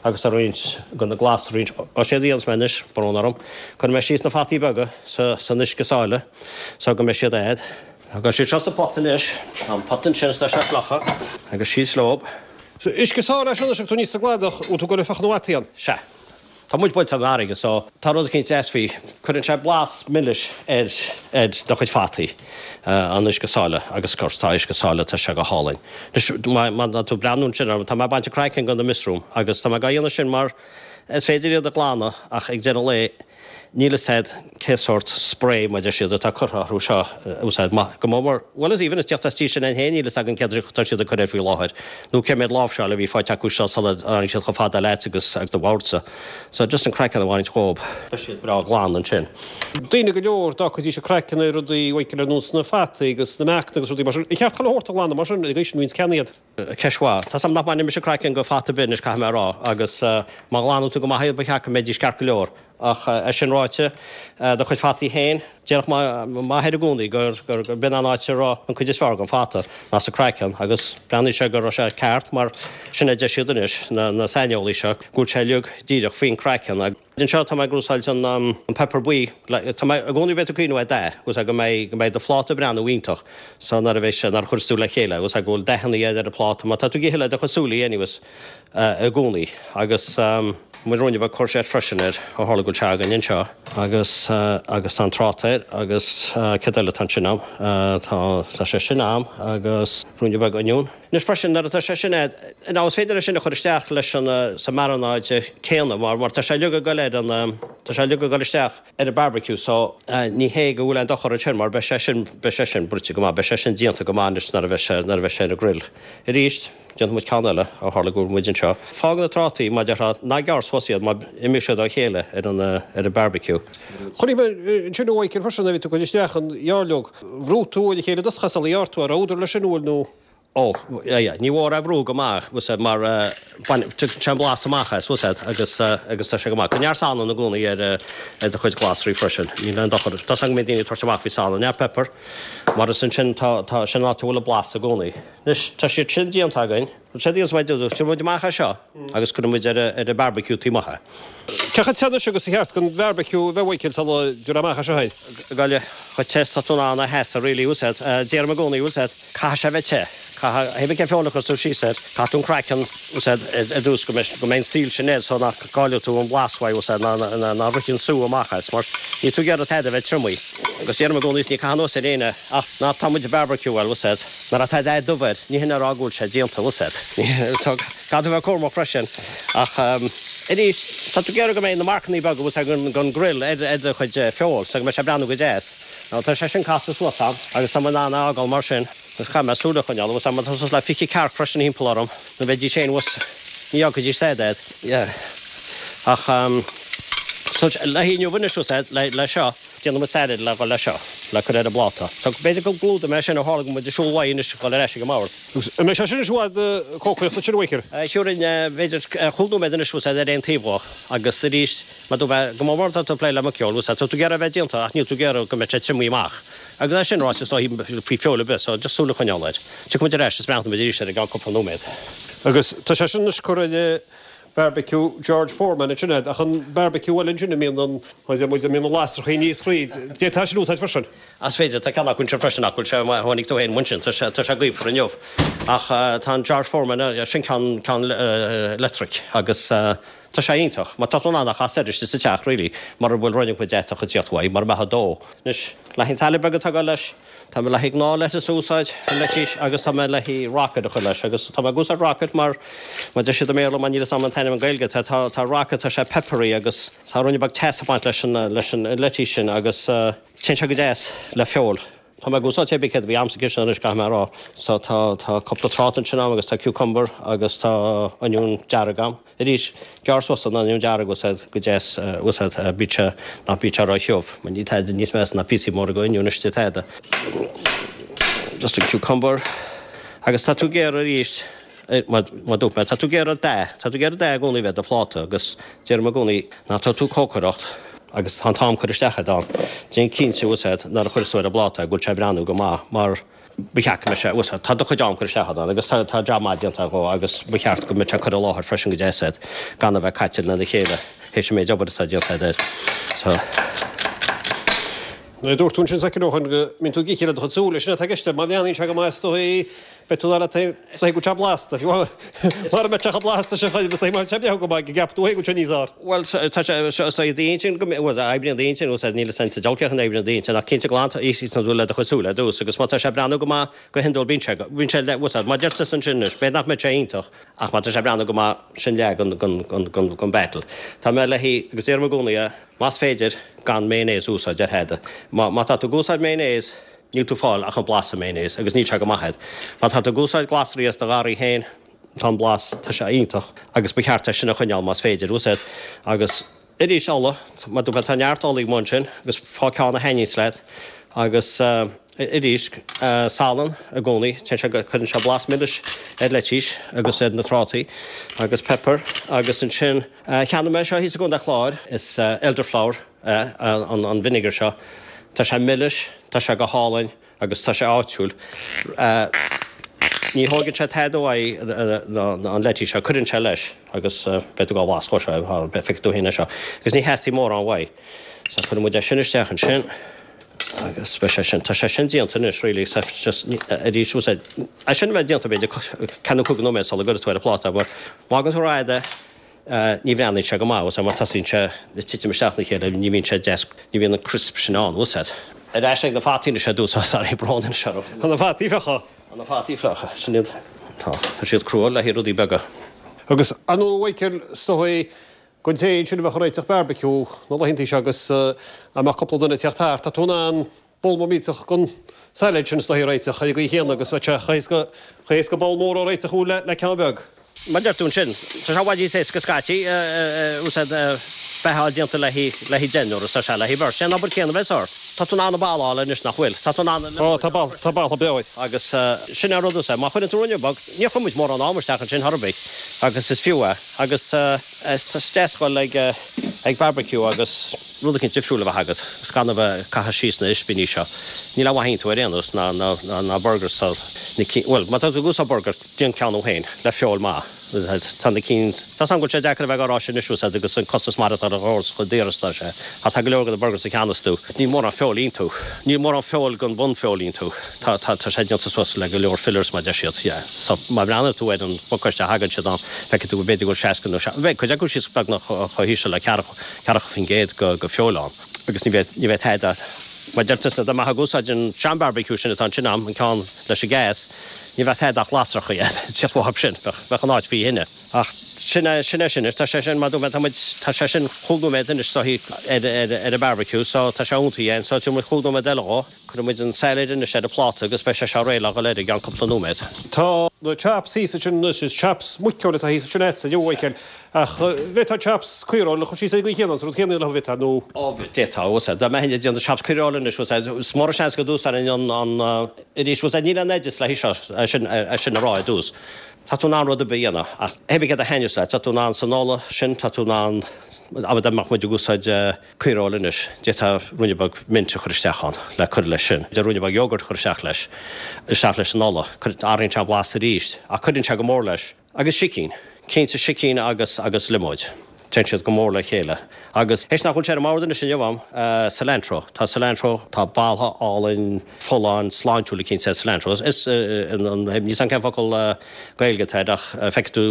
agus tá roinnt de na glasraí, ó séard a dhéanfas mé anois, brón orm, cuirfidh mé síos na fataí beaga sa, san uisce sáile. So go mbeidh siad a'd. Tá siad seo sa pota anois. Tá an pota ansin is tá sé fliuch agus síos leob. So uisce sáile é seo anois agus tú aníos sa gcladach, bhfuil tú ag dul ag fiuchadh na bhfataí ann? Sea. Tá muid buailte san fharraige so tá rud eicínt deas faoi. Cuireann sé blas milis ar ar do chuid fataí, an uisce sáile agus of course tá uisce sáile, tá sé go hálainn. Anois má má tá tú ag breathnú ansin orm, tá mé ag baint an craiceann de na mushroom agus tá mé dhá dhéanamh sin mar is féidir iad a ghlanadh ach ag deireadh an lae Níl fhios a'd cé sórt spray mar deir siad atá curtha orthu seo a úsáid maith go mór mór bhuel is even is teacht as tír sin ann féin níl fhios againn céard atá siad ag cur air faoi láthair nó cé mhéad láimhseáil a bhí faighte acu seo sula dtáinig siad chomh fada leat agus agus do bhordsa so just an craiceann a bhaint dhób beidh siad breá glan ansin. Daoine go leor dá gcuirfidís an craiceann ar rudaí Mhichíl ar nós na fataí agus na meacanna agus rudaí mar sin. Ar cheart chuile shórt a ghlanadh mar sin, ag aois an bhíonns ceann iad. Ceist mhaith. Tá's a'm nach mbaineann mise craiceann go fata ar bith anois, caithfidh mé a rá, agus má ghlanann tú go maith iad ba cheart go mbeidís ceart go leor. Ach é sin ráite, do chuid fataí féin, déarfadh m'athair i gcónaí gur b'in an áit a raibh an cuid is fearr den fhata, ná sa craiceann, agus breathnaíonn sé go raibh sé ceart mar sin a deir siad anois, na saineolaí seo, go bhfuil sé uilig díreach faoin craiceann. Anseo tá mé ag úsáid an pepper buí. Tá mé i gcónaí beidh tú ag cuimhneamh ar dath, agus go mbeidh go mbeidh do phláta ag breathnú iontach so nuair a bheidh sé nuair a chuireas tú le chéile agus go bhfuil dathanna ar an phláta mar tá tú ag ithe le do chuid súilí anyways i gcónaí. Agus muid ruainne beag courgette freisin air ó tharla go bhfuil sé againn anseo agus agus tá an tráta air agus céard eile atá ansin a'm? Tá tá sé sin a'm agus ruainne beag oinniún. Anois freisin, nuair atá sé sin a'd, now is féidir é sin a chur isteach leis an, sa marinade céanna mar, mar tá sé uilig ag goil ar an, tá sé uilig ag goil isteach ar an barbecue so ní hé go bhfuil aon dochar ansin mar beidh sé sin, beidh sé sin bruite go maith, beidh sé sin déanta go maith anois nuair a bheidh sé, nuair a bheidh sé ar an grill. Arís, déanfaidh muid ceann eile ó tharla go bhfuil muid anseo. Fág na trátaí, mar déarfá, ná gearr suas iad mar imeoidh siad ó chéile ar an, ar an barbecue. Chonaic mé ansin a Mhichíl freisin nuair a bhí tú ag cur isteach an ghairleog, bhrúigh tú ar a chéile i dtosach sula ghearr tú, an raibh údar leis sin, an bhfuil nó? Ó, yeah, yeah, ní mór é a bhrú go maith, bhfuil 's a'd, mar bain, tugann sé an blas amach as, bhfuil 's a'd, agus, agus tá sé go maith. Cuir neart salann i gcónaí ar, ar do chuid glasraí freisin. Níl aon dochar, tá's agam go mbíonn daoine ag tabhairt amach faoi salann, neart pepper, mar is ansin tá, tá, sin an áit a bhfuil an blas i gcónaí. Anois, tá siad sin déanta againn. Sé déanfaidh muid, tabharfaidh muid amach é seo agus cuirfidh muid ar an barbecue taobh amuigh é. Cé chomh te anois agus ba cheart don bharbecue a bheith a Mhichíl sula dtabharfá amach é seo é? Gabh chomh te is tá tú in ann a sheasamh really, bhfuil 's a'd. Deirim i gcónaí, bhfuil 's a'd, caithfidh sé a bheith te. Caithfidh, hé bith cén feoil a chuireas tú síos air, caithfidh tú an craiceann, bhfuil 's a'd, ar dtús go mbeidh, go mbeidh an sail sin air so nach gcaillfidh tú an blas uaidh, bhfuil 's a'd, ná, ná rithfidh an sú amach as mar níl tú ag iarraidh tada a bheith triomaithe. Agus deirim i gcónaí is ní caith anuas ar éinne ach ná tá muid ag barbecue, bhuel, bhfuil 's a'd. Nuair atá dath dubh air, ní hin a rá go bhfuil sé déanta, bhfuil 's a'd. So, caithfidh tú a bheith cúramach freisin. Ach arís, tá tú ag iarraidh go mbeidh na marcannaí beaga, bhfuil 's a'd, den grill ar do chuid feoil, so go mbeidh sé ag breathnú go deas. Now, tá sé sin casta suas a'm agus tá mé in ann é a fhágáil mar sin. Agus caithfidh mé súil a choinneáil, bhfuil 's a'd, mar tá suas le 20 cearc freisin thimpeall orm, nó bheidís féin thuas, ní fhágfaidís stad a'd. Yeah. Ach, so, le haghaidh inniu anois, bhfuil 's a'd, le seo. Déanfaidh muid salad le dhul leis seo, le cur ar an bpláta. So, b'fhéidir go gclúdóidh mé sin ó tharla go bhfuil muid ag siúl uaidh anois ag dhul ar ais ag an mbord. Agus an mbeidh sé sin anois i bhfad ag cócaireacht ansin, a Mhichíl? Thiúrfainn, b'fhéidir, chúig nóiméad anois, bhfuil 's a'd, ar aon taobh dhó. Agus arís, mar dúirt mé, go mór mór tá tú ag plé le muiceoil, bhfuil 's a'd, tá tú ag iarraidh a bheith déanta ach níl tú ag iarraidh go mbeidh sé triomaithe amach. Agus é sin ráite, is dóichí faoi feoil ar bith, so just súil a choinneáil air. Tiocfaidh muid ar ais is breathnóidh muid arís air i gceann cúpla nóiméad. Agus tá sé sin anois curtha ar Barbecue George Foreman ansin agat, ach an barbecue eile ansin a mbíonn an, a mbíonn na lasrachaí aníos thríd, d'fhéadfá sin a úsáid freisin. Is féidir, tá ceann acu anseo freisin ach bhfuil sé, tháinig tú féin ansin, tá sé, tá sé gaofar inniu. Ach tá an George Foreman, sin ceann, ceann leictric agus tá sé iontach. Mar tá tú in ann é a chasadh air istigh sa teach really, mura bhfuil rud éigin deatach ag tíocht uaidh, mura mbeadh ag dó. Anois, le haghaidh an salad beag atá ag dul leis. Tá mé le haghaidh gnáthleitís a úsáid, an leitís, agus tá mé le haghaidh rocket a chur leis. Agus tá mé ag úsáid rocket mar, mar deir siad i mBéarla, mar níl 'fhios a'm an t-ainm i nGaeilge, tá, tá, tá rocket, tá sé peppery agus tá ruainne beag teas ag baint leis an, leis an leitís sin agus téann sé go deas le feoil. Tá mé ag úsáid cé bith céard a bhí a'm sa chistin anois, caithfidh mé a rá. So tá, tá cúpla tráta ansin a'm agus tá cucumber agus tá oinniún dearg a'm. Arís, gearr suas an oinniún dearg úsáid go deas, úsáid, bíodh sé, ná bíodh sé ró-thiubh, mar níl tada níos measa ná píosaí móra go oinniún istigh tada. Just a cucumber. Agus tá tú ag iarraidh arís, Mar a dúirt mé, tá tú ag iarraidh dath, tá tú ag iarraidh dath i gcónaí a bheith ar do phláta agus deirim i gcónaí nuair atá tú ag cócaireacht agus tá an t-am curtha isteach agat ann, déan cinnte úsáid nuair a chuireas tú ar an bpláta go bhfuil sé ag breathnú go maith mar ba cheart go mbeadh sé, úsáid, tá do chuid am curtha isteach agat ann agus tá, tá jab maith déanta agat dhó agus ba cheart go mbeadh sé curtha i láthair freisin go deas agat gan a bheith caite lena chéile théis an méid obair atá déanta agat air. So. Nuair a dúirt tú ansin soicind ó shin go mbíonn tú ag ithe le do chuid súl, sin atá i gceist, má bhreathnaíonn sé go maith is dóigh beidh tú dar leat féin is dóigh go bhfuil sé blasta, fiú mura mbeadh sé chomh blasta sin chuid is dóigh má tá sé breá go maith go gceapfaidh tú féin go bhfuil sé níos fhearr. Bhuel, tá sé, is dóigh d'intinn go mbeidh, bhuel, oibríonn d'intinn, úsáid, níl 'fhios a'm sa diabhal cén chaoi a n-oibríonn d'intinn ach cinnte glan, itheann tú le do chuid súl ar dtús agus má tá sé ag breathnú go maith go hiondúil bíonn sé, bíonn sé le, úsáid, má deir tusa ansin anois, b'fhéidir nach mbeidh sé iontach ach má tá sé ag breathnú go maith, sin leath den, den, den, den battle. Tá mé le haghaidh, agus deirim i gcónaí é, Más féidir, gan mayonnaise a úsáid ar tada. Má tá tú ag úsáid mayonnaise, níl tú ag fáil ach an blas an mayonnaise agus níl sé go maith agat. Má tá tú ag úsáid glasraí as do gharraí féin, tá an blas, tá sé iontach agus ba cheart é sin a choinneáil más féidir, úsáid. Agus arís ola, mar dúirt mé, tá neart ola amuigh ansin agus faigh ceann a thaitníos leat agus arís, salann i gcónaí, téann sé, cuireann sé blas milis ar leitís agus ar na trátaí agus pepper agus ansin, Cheannaigh mé seo thíos i gContae Chláir. Is elderflower é an vinegar seo. Tá sé milis, tá sé go hálainn agus tá sé áitiúil. Ní thóigeann sé tada uaidh an leitís seo, cuireann sé leis agus beidh tú dhá bhlas dhó seo, feicfidh tú féin é seo. Agus ní theastaíonn mórán uaidh. So cuireann muid é sin isteach ansin agus beidh sé sin, tá sé sin déanta anois really, just arís, é sin a bheith déanta b'fhéidir ceathrú nó 5 nóiméad sula gcuirfidh tú ar an phláta mar má fhágann tú rófhada Ní bhreathnaíonn sé go maith, úsáid, mar tosaíonn sé ag titim isteach ina chéile, ní bhíonn sé deas, ní bhíonn an crisp sin ann, úsáid. Ar ais ag na fataí anois ar dtús, sorry, brón anois orm. Tá na fataí fliucha. Tá na fataí fliucha, sin iad. Tá, tá siad crua le haghaidh rudaí beaga. Agus ar ndóigh, a Mhichael, is dóigh don té ansin a bheadh ag réiteach barbecue na laethanta seo agus a mbeadh cúpla duine ag teacht thart, tá tú in ann Bol mór millteach den sailéad sin is dóichí a réiteach ar an gcaoi chéanna agus bheadh sé chomh héasca, chomh héasca bol mór a réiteach le, le ceann beag. Mar a deir tú ansin, tá sé i bhfad níos éasca scaití, úsáid beatha déanta le haghaidh, le haghaidh deichniúr is tá sé le haghaidh beirt. Sé an obair céanna a bheas ort. Tá tú in ann an boladh a fháil anois nach bhfuil? Tá tú in ann an Ó, tá boladh, tá boladh breá air. Agus sin é an rud úsáid. Má chuireann tú ruainne beag, níor chuir muid mórán ama isteach ansin chor ar bith agus is fiú é. Agus is deas dhul ag, ag barbecue agus. rud eicínt difriúil a bheith agat agus gan a bheith ag caitheamh síos na ispíní seo. Níl aon mhaith iontu ar aon nós, ná, ná, ná, ná burgers. Tá na cinn, bhuel, má tá tú ag úsáid burger, déan ceann thú féin, le feoil maith. Tá na cinn, tá 's agam go bhfuil sé deacair a bheith á rá sin anois, úsáid, agus an costas maireachtála ar chomh daor is atá sé. Ach tá go leor de na burgers a cheannas tú, níl mórán feoil iontu. Níl mórán feoil den bunfheoil iontu. Tá, tá, tá sé déanta suas le go leor fillers, mar deir siad. Yeah. So, má bhreathnaíonn tú ar an bpacáiste a thagann siad ann, feicfidh tú go b'fhéidir go bhfuil 60 nó, beidh cuid acu síos beagnach chomh híseal le ceathracha, 40% de feoil ann agus ní bheidh, ní bheidh tada, mar deir tusa, dá mbeifeá ag úsáid an sean-barbecue sin atá ansin a'm, an ceann leis an gas, ní bheadh tada ach lasracha ag tíocht uathu sin, bheadh, bheadh an áit faoi thine. Ach sin é, sin é sin anois, tá sé sin, mar dúirt mé, tá muid, tá sé sin chúig nóiméad anois so ar, ar, ar an barbecue so tá sé iontaithe so tabharfaidh muid chúig nóiméad eile dhó. Cuirfidh muid an sailéad anois ar an phláta agus beidh sé seo réidh le dhul air i gceann cúpla nóiméad. Tá na chops thíos ansin anois, is chops muiceoil atá thíos ansin agatsa, a Mhichael, ach bhféadfá chops caoireoil a chur síos ar an gcaoi chéanna, an rud céanna leo, bhféadfá, nó? Ó, d'fhéadfá, úsáid. Dá mbeinn ag déanamh chops caoireoil anois, úsáid, is mór an seans go d'úsáidfinn an, an, arís, úsáid, níl aon oideas le haghaidh seo, é sin, é sin a rá i dtús. Tá tú in ann rud ar bith a dhéanamh, ach hé bith céard a thaitneos leat, tá tú in ann san ola sin, tá tú in ann, abair dá mbeadh muid ag úsáid, Caoireoil anois, d'fhéadfá ruainne beag mint a chur isteach ann le cur leis sin. D'fhéadfá ruainne beag yogurt a chur isteach leis, isteach leis an ola. Athraíonn sé an blas arís, ach cuireann sé go mór leis. Agus sicín. Cinnte sicín agus, agus liomóid. Téann siad go mór le chéile. Agus, théis nach bhfuil sé ar an mbord anois inniu a'm, cilantro. Tá cilantro, tá boladh álainn, folláin, sláintiúil cinnte ar cilantro. Is, níl 'fhios a'm cén focal Gaeilge atá air ach feicfidh tú,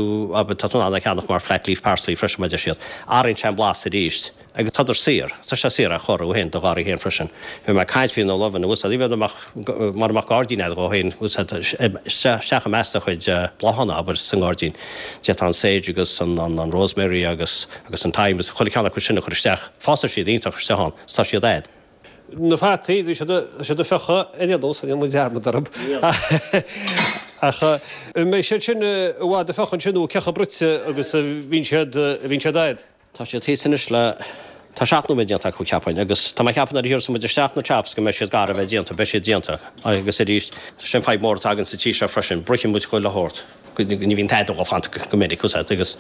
tá tú in ann é a cheannach mar flat leaf parsley freisin mar deir siad. Athraíonn sé an blas arís. Agus tádar saor, tá sé saor a chur thú féin do gharraí féin freisin. Bhí mé ag caint faoi na luibheanna, bhfuil 's a'd, even mara mbeadh gairdín a'd dhó féin, bhfuil 's a'd, isteach i measc do chuid bláthanna, abair, sa ngairdín. D'fhéadfá an sage agus an rosemary agus agus an thyme agus chuile cheann acu sin a chur isteach. Fásfaidh siad iontach isteach ann, 's tá siad a'd. Na fataí, bhí siad siad ag fiuchadh ar aon nós, níl muid dearmad orthu. Ach an mbeidh siad sin i bhfad ag fiuchadh ansin nó cé chomh bruite agus a bhíonn siad a bhíonn siad a'd? Tá siad thíos anois le, tá 7 nóiméad déanta acu cheapfainn, agus tá mé ag ceapadh nuair a thiúrfas muid isteach na chops go mbeidh siad gar a bheith déanta, beidh siad déanta. Agus arís, sin fadhb mór atá againn sa tír seo freisin, bruitheann muid chuile shórt, ní bhíonn tada dhó fanta go minic, bhfuil 's a'd, agus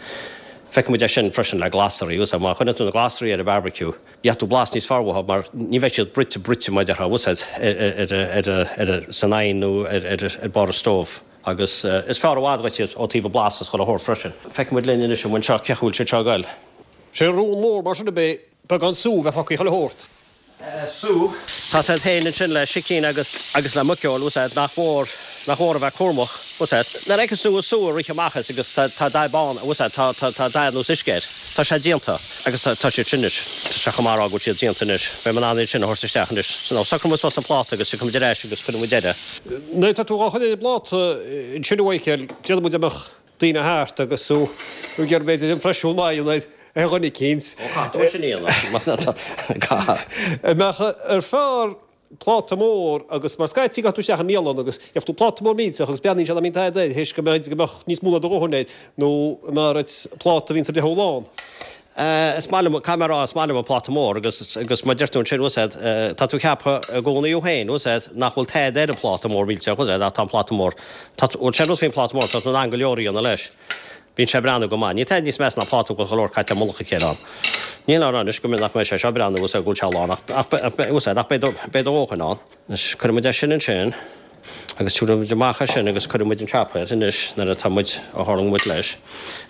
feiceann muid é sin freisin le glasraí, bhfuil 's a'd, má chuireann tú na glasraí ar an barbecue, gheobhaidh tú blas níos fearr uathu mar ní bheidh siad bruite bruite mar a déarfá, bhfuil 's a'd, ar, ar, ar, ar, san oigheann nó ar, ar, ar barr an stove. Agus is fearr i bhfad dhuit iad ó taobh an blas is chuile shórt freisin. Feicfidh muid linn anois an bhfuil seo, cé chaoi bhfuil siad seo ag goil. Sé an rún mór mar sin ab é beagán sú a bheith fágtha chuile shórt. Sú. Tá 's a'd féin ansin le sicín agus agus le muiceoil, bhfuil 's a'd, nach mór, nach mór a bheith cúramach, bhfuil 's a'd. Nuair a fheiceanns tú an sú ag rith amach as agus tá tá dath bán, bhfuil 's a'd, tá tá tá dath ar nós uisce air. Tá sé déanta. Agus tá siad sin anois, tá sé chomh maith a rá go bhfuil siad déanta anois. Beidh mé in ann iad sin a thabhairt isteach anois. Now, socróidh muid suas an pláta agus tiocfaidh muid ar ais agus cuirfidh muid air é. Nuair atá tú dhá chur ar an bpláta ansin a Mhichael, déarfaidh muid dá mbeadh daoine thart agus tú ag iarraidh b'fhéidir impreisiún maith a dhéanamh ar dhuine eicínt. Ó, caithfidh tú é sin a dhéanamh. Caithfidh. An mbeadh ar fearr pláta mór agus mar scaití gabhfaidh tú isteach i mbialann agus gheobhaidh tú pláta mór millteach agus breathnaíonn sé nach mbíonn tada air théis go mbeadh go mbeadh níos mó ná do dhóthain air nó an mb'fhearr duit pláta a bhíonns ag breith lán. Is maith liom, caithfidh mé a rá, is maith liom an pláta mór agus agus mar deir tú ansin, bhfuil 's a'd, tá tú ag ceapadh i gcónaí thú féin, bhfuil 's a'd, nach bhfuil tada ar an phláta mór millteach, bhfuil 's a'd, ach tá an pláta mór, tá, bhuel sé an rud faoin pláta mór, tá tú in ann go leor a dhéanamh leis. Bíonn sé ag breathnú go maith. Níl tada níos measa ná pláta go bhfuil go leor caite i mullach a chéile ann. Níl ann anois go nach mbeidh sé seo ag breathnú bhfuil 's a'd go bhfuil sé lán ach ach bhfuil 's a'd ach beidh do beidh do dhóthain ann. Anois cuirfidh muid é sin ansin agus tabharfaidh muid amach é sin agus cuirfidh muid an chop air anois nuair atá muid a tharraing muid leis.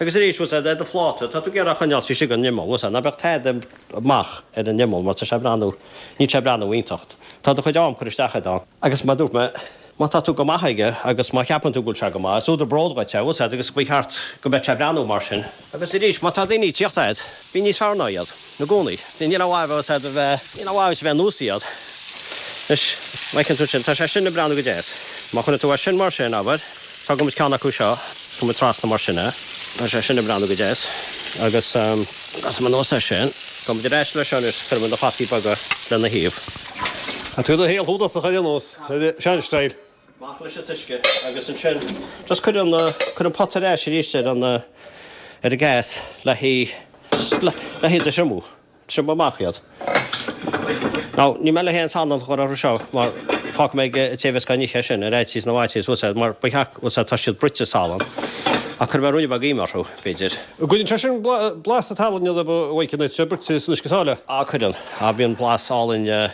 Agus arís bhfuil 's a'd ar do phláta tá tú ag iarraidh a choinneáil istigh an imeall bhfuil 's a'd ná beadh tada amach ar an imeall mar tá sé ag breathnú níl sé ag breathnú iontach. Tá do chuid am curtha isteach agat ann. Agus mar a dúirt mé Má tá tú go maith aige agus má cheapann tú go bhfuil sé go maith, is údar bróid dhuit é, bhfuil 's a'd, agus ba cheart go mbeadh sé ag breathnú mar sin. Agus arís, má tá daoine ag tíocht agat, bí níos fearr ná iad, i gcónaí. Níl aon mhaith a bheith, bhfuil 's a'd, a bheith, níl aon mhaith a bheith ar nós iad. Anois, má fheiceann tú ansin, tá sé sin ag breathnú go deas. Má chuireann tú é sin mar sin, abair, tógfaidh muid ceann acu seo, cuirfidh muid trasna mar sin é. Tá sé sin ag breathnú go deas. Agus, casfaidh mé anuas é sin. Gabhfaidh muid ar ais leis seo anois, cuirfidh muid na fataí beaga lena thaobh. Tá tú i do shaol shúdasach ar aon nós. Sean-style. Amach leis an t-uisce agus ansin just cuir an, cuir an pota ar ais arís ar an, ar an gas le hí, le hiad a thriomú. Triomú amach iad. Now, níl mé le haon salann a chur orthu seo mar fágfaidh mé ag an té a bheas á n-ithe é sin ar fhaitíos na bhfaitíos, bhfuil 's a'd, mar ba cheart, bhfuil 's a'd, tá siad bruite i salann. Ach cuirfidh mé ruainne beag ime orthu, b'fhéidir. An gcuireann sé sin blas an tsalainn orthu, a Mhaidhc, nuair atá sé bruite san uisce sáile? Á, cuireann. Á, bíonn blas álainn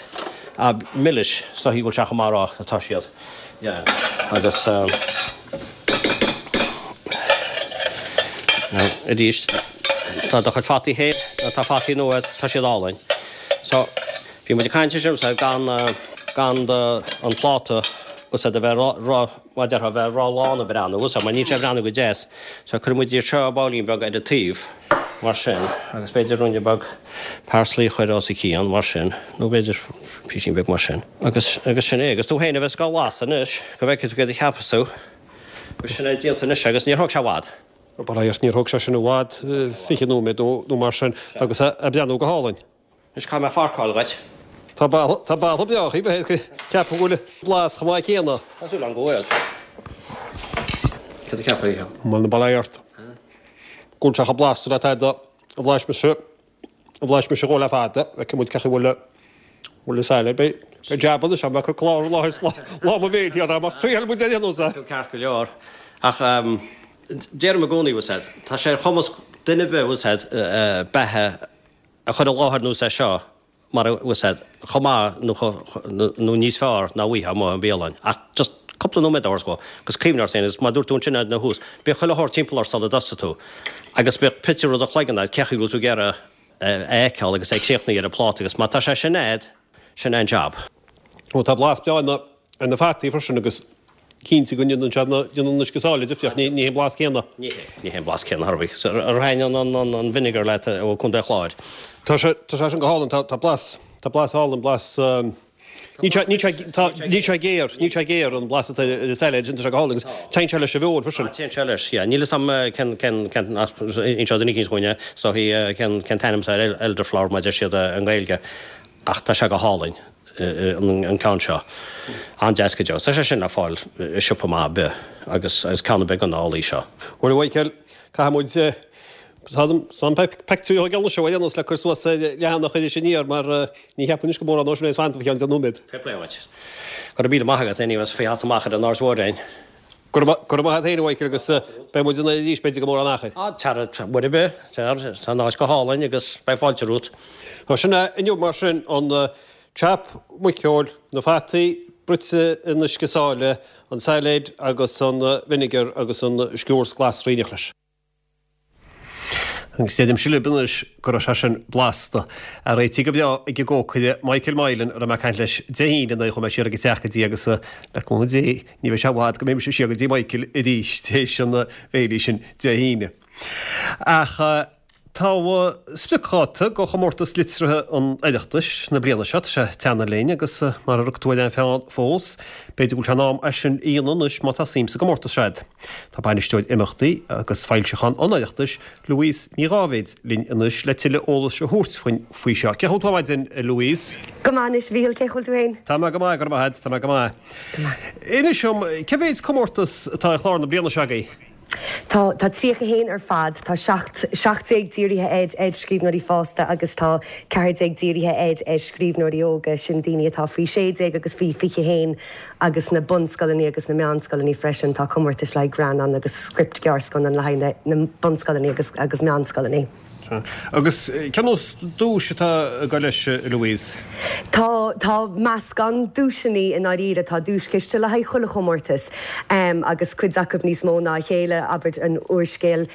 Ah, milis, is dóichí go bhfuil sé chomh maith a rá atá siad. Yeah. Agus now, arís, tá do chuid fataí féin, tá fataí nua, tá siad álainn. So, bhí muid ag caint ansin, so, gan, gan do, an pláta, bhfuil 's a'd, a bheith ró, ró, mar a déarfá, a bheith ró-lán ag breathnú, bhfuil 's a'd, mar níl sé ag breathnú go deas. So cuirfidh muid iad seo babhlaín beag ar an taobh, mar sin, agus b'fhéidir ruainne beag parsley a chur os a cionn, mar sin, nó b'fhéidir písín beag mar sin. Agus, agus sin é. Agus tú féin a bheas dhá bhlasadh anois, go bhfeicfidh tú céard a cheapfas tú. Agus sin é déanta anois agus níor thóg sé i bhfad. Bail ó Dhia ort, níor thóg sé sin i bhfad, 20 nóiméad nó mar sin, agus é ag breathnú go hálainn. Anois caithfidh mé forcáil dhuit. Tá tá boladh breá, ceapaim go bhfuil blas chomh maith céanna. Tá súil agam go bhfuil. Cad a cheapfá? Bhuel, bail ó Dhia ort. Go bhfuil sé chomh blasta le tada a bhlais mise, a bhlais mise dhó le fada. Feicfidh muid cén chaoi a bhfuil bhfuil an salad. Beidh beidh jab anois agam, bheadh clár i láthair lá mo bhéil thiar agam ach triailfidh muid ar aon nós é. Tá tú ceart go leor. Ach deirim i gcónaí, bhfuil 's a'd, tá sé ar chumas duine ar bith, bhfuil 's a'd, beatha a chur i láthair nós é seo mar a bhfuil 's a'd, chomh maith nó nó níos fearr ná a bhfaighfeá amuigh i mbialann. Ach just cúpla nóiméad a thabhairt dhó agus cuimhnigh ort féin agus mar a dúirt tú ansin ina thús, bíodh chuile shórt timpeall ort sula dtosaigh tú agus bíodh pictiúr i do chloigeann agat cén chaoi a bhfuil tú ag iarraidh é a fheiceáil agus é críochnaithe ar an phláta agus má tá sé sin a'd, sin é an jab. Ó tá blas breá ar na fataí freisin agus. Cinnte go ndéanann sé déanann an uisce sáile difríocht, ní hé an blas céanna. Ní hé, ní hé an blas céanna, ar bith. Ar thaitin an vinegar leat ó Contae an Chláir? Tá sé, tá sé sin go hálainn, tá, tá blas, tá blas álainn, blas, níl sé, níl sé, tá, níl sé géar, níl sé géar an blas atá ar an sailéad sin, tá sé go hálainn agus téann sé leis an bhfeoil freisin. Téann sé leis, yeah. Níl fhios a'm cén, cén, cén, inseoidh duine eicínt dhúinn é, is dóichí cén, cén t-ainm atá ar elderflower mar a deir siad i nGaeilge ach tá sé go hálainn. an ceann seo. An-deas go deo. Tá sé sin le fáil i siopa maith ar bith agus is ceann ar bith de na olaí seo. Bhuel, a Mhichael, caithfidh muid tá an pictiúr a thógáil anseo ar aon nós le cur suas ar leathanach Iris Aniar mar ní cheapaim anois go mórán ó sin é fanta faoi cheann 10 nóiméad. Fair play duit. Go raibh míle maith agat anyways faoi theacht amach ar an Aird Mhóir againn. Go raibh maith agat féin a Mhichael agus beidh muid in arís b'fhéidir go mórán achair. Á, tar, uair ar bith, tar, tá an áit go hálainn agus beidh fáilte romhat. Tá sin é inniu mar sin, an ceap muiceoil, na fataí bruite in uisce sáile, an sailéid agus an vinegar agus an sciúrs glasraí in éineacht leis. Agus deirimse libh anois go raibh sé sin blasta. Réitithe go breá ag an gcócaire Michael Moylan a raibh mé ag caint leis Dé hAoine nuair a chuaigh mé siar ag an teach go dtí agus le cúnamh Dé ní bheidh sé i bhfad go mbeidh mise siar go dtí Michael arís théis an bhéilí sin Dé hAoine. Ach tá spriocdháta do chomórtas liteartha an Oireachtais na bliana seo, tá sé ag teannadh linn agus mara rug tú ar aon pheann fós, b'fhéidir go bhfuil sé in am é sin a dhéanamh anois má tá suim sa gcomórtas seo agat. Tá Bainisteoir Imeachtaí agus Foilseachán an Oireachtais, Louise Ní Dháibhéid, linn anois le tuilleadh eolais a thabhairt dhúinn faoi seo. Cén chaoi a bhfuil tú ar maidin, a Louise? Go maith anois, a Mhíchíl, cén chaoi a bhfuil tú féin? Tá mé go maith, go raibh maith agat, tá mé go maith. Go maith. Inis dom, cé mhéid comórtas atá ar chlár na bliana seo agaibh? Tá, tá 31 ar fad. Tá 17, 17 dírithe ar, ar scríbhneoirí fásta agus tá 14 dírithe ar, ar scríbhneoirí óga, sin daoine atá faoi 16 agus faoi 21 agus na bunscoileanna agus na meánscoileanna freisin. Tá comórtais le haghaidh greannán agus script gearrscannán le haghaidh na, na bunscoileanna agus, agus meánscoileanna. Agus cén nós duais atá ag dul leis, a Louise? Tá, tá meascán duaiseanna i ndáiríre. Tá duaischiste le haghaidh chuile chomórtas agus cuid acu níos mó ná a chéile, abair an úrscéal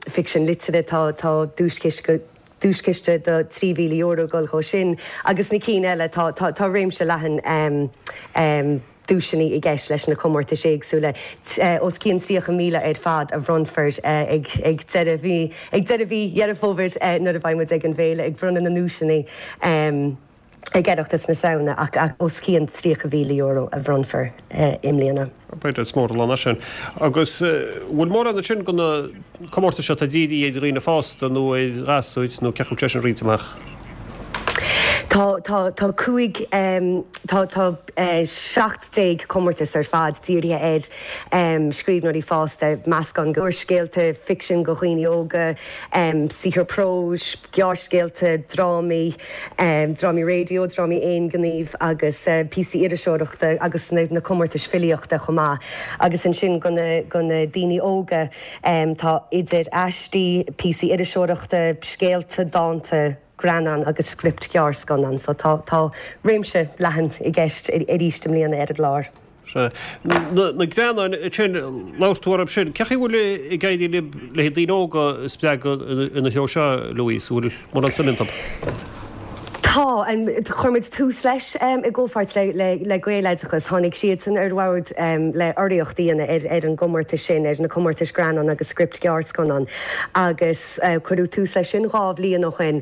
ficsean liteartha, tá, tá duaischiste, duaischiste de €3,000 ag dul dhó sin agus na cinn eile, tá, tá, tá réimse leathan duaiseanna i gceist leis na comórtais éagsúla. Os cionn 30,000 ar fad a bhronnfar ag deireadh mhí ag deireadh mhí Dheireadh Fómhair nuair a bheidh muid ag an bhféile ag bronnadh na nduaiseanna ag Oireachtas na Samhna ach os cionn €30,000 a bhronnfar i mbliana. B'fhéidir is mór an lán é sin. Agus bhfuil mórán ansin de na comórtais seo atá dírithe ar dhaoine fásta nó ar ghasúir nó cén chaoi a bhfuil sé sin roinnte amach? Tá, tá, tá 5, tá, tá 17 comórtas ar fad dírithe ar scríbhneoirí fásta, meascán de úrscéalta, ficsean do dhaoine óga, saothar próis, gearrscéalta, drámaí, drámaí raidió, drámaí aonghnímh agus píosaí iriseoireachta agus na comórtais filíochta chomh maith. Agus ansin do na, do na daoine óga tá idir aistí, píosaí iriseoireachta, scéalta, dánta, greannáin agus script ghearrscannán. So tá, tá réimse leathan i gceist arís i mbliana ar an gclár. Sea. Na greannáin sin, labhair tú orthu sin. Cén chaoi a bhfuil ag éirí libh le daoine óga a spreagadh ina threo seo, Louise? An bhfuil mórán suim iontu? Tá. Chuir muid tús leis i gcomhpháirt le Gaeloideachas. Tháinig siadsan ar bhord le urraíocht a dhéanamh ar an gcomórtas sin, ar na comórtais greannán agus script ghearrscannán agus cuireadh tús leis sin dhá bhliain ó shin.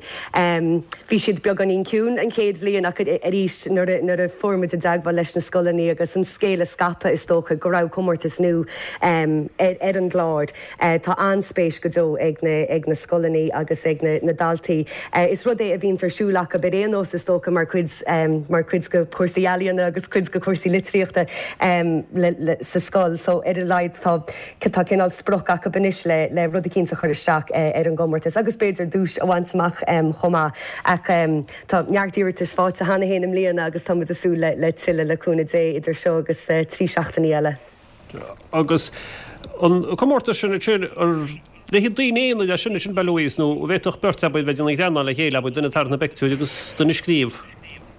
Bhí siad beagáinín ciúin an chéad bhliain ach arís nuair a fuair muid i dteagmháil leis na scoileanna agus an scéal a scaipeadh is dócha go raibh comórtas nua ar an gclár. Tá an-spéis go deo ag na ag na scoileanna agus ag na na daltaí. Is rud é a bhíonns ar siúl acu ar aon nós is dócha mar chuid mar chuid de chúrsaí ealaíona agus cuid de chúrsaí litríochta le le sa scoil so ar a laghad tá tá cineál sprioc acu anois le le rud eicínt a chur isteach ar an gcomórtas agus b'fhéidir duais a bhaint amach chomh maith. Ach tá neart iarratais faighte cheana féin i mbliana agus tá muid ag súil le le tuilleadh le cúnamh Dé idir seo agus 3 seachtainí eile. Agus an comórtas sin ansin, ar le haghaidh daoine aonair é sin ansin, ab ea Louise, nó an bhféadfadh beirt, abair, bheith ag déanamh greannán le chéile, abair, duine ag tarraingt na bpictiúr agus duine ag scríobh?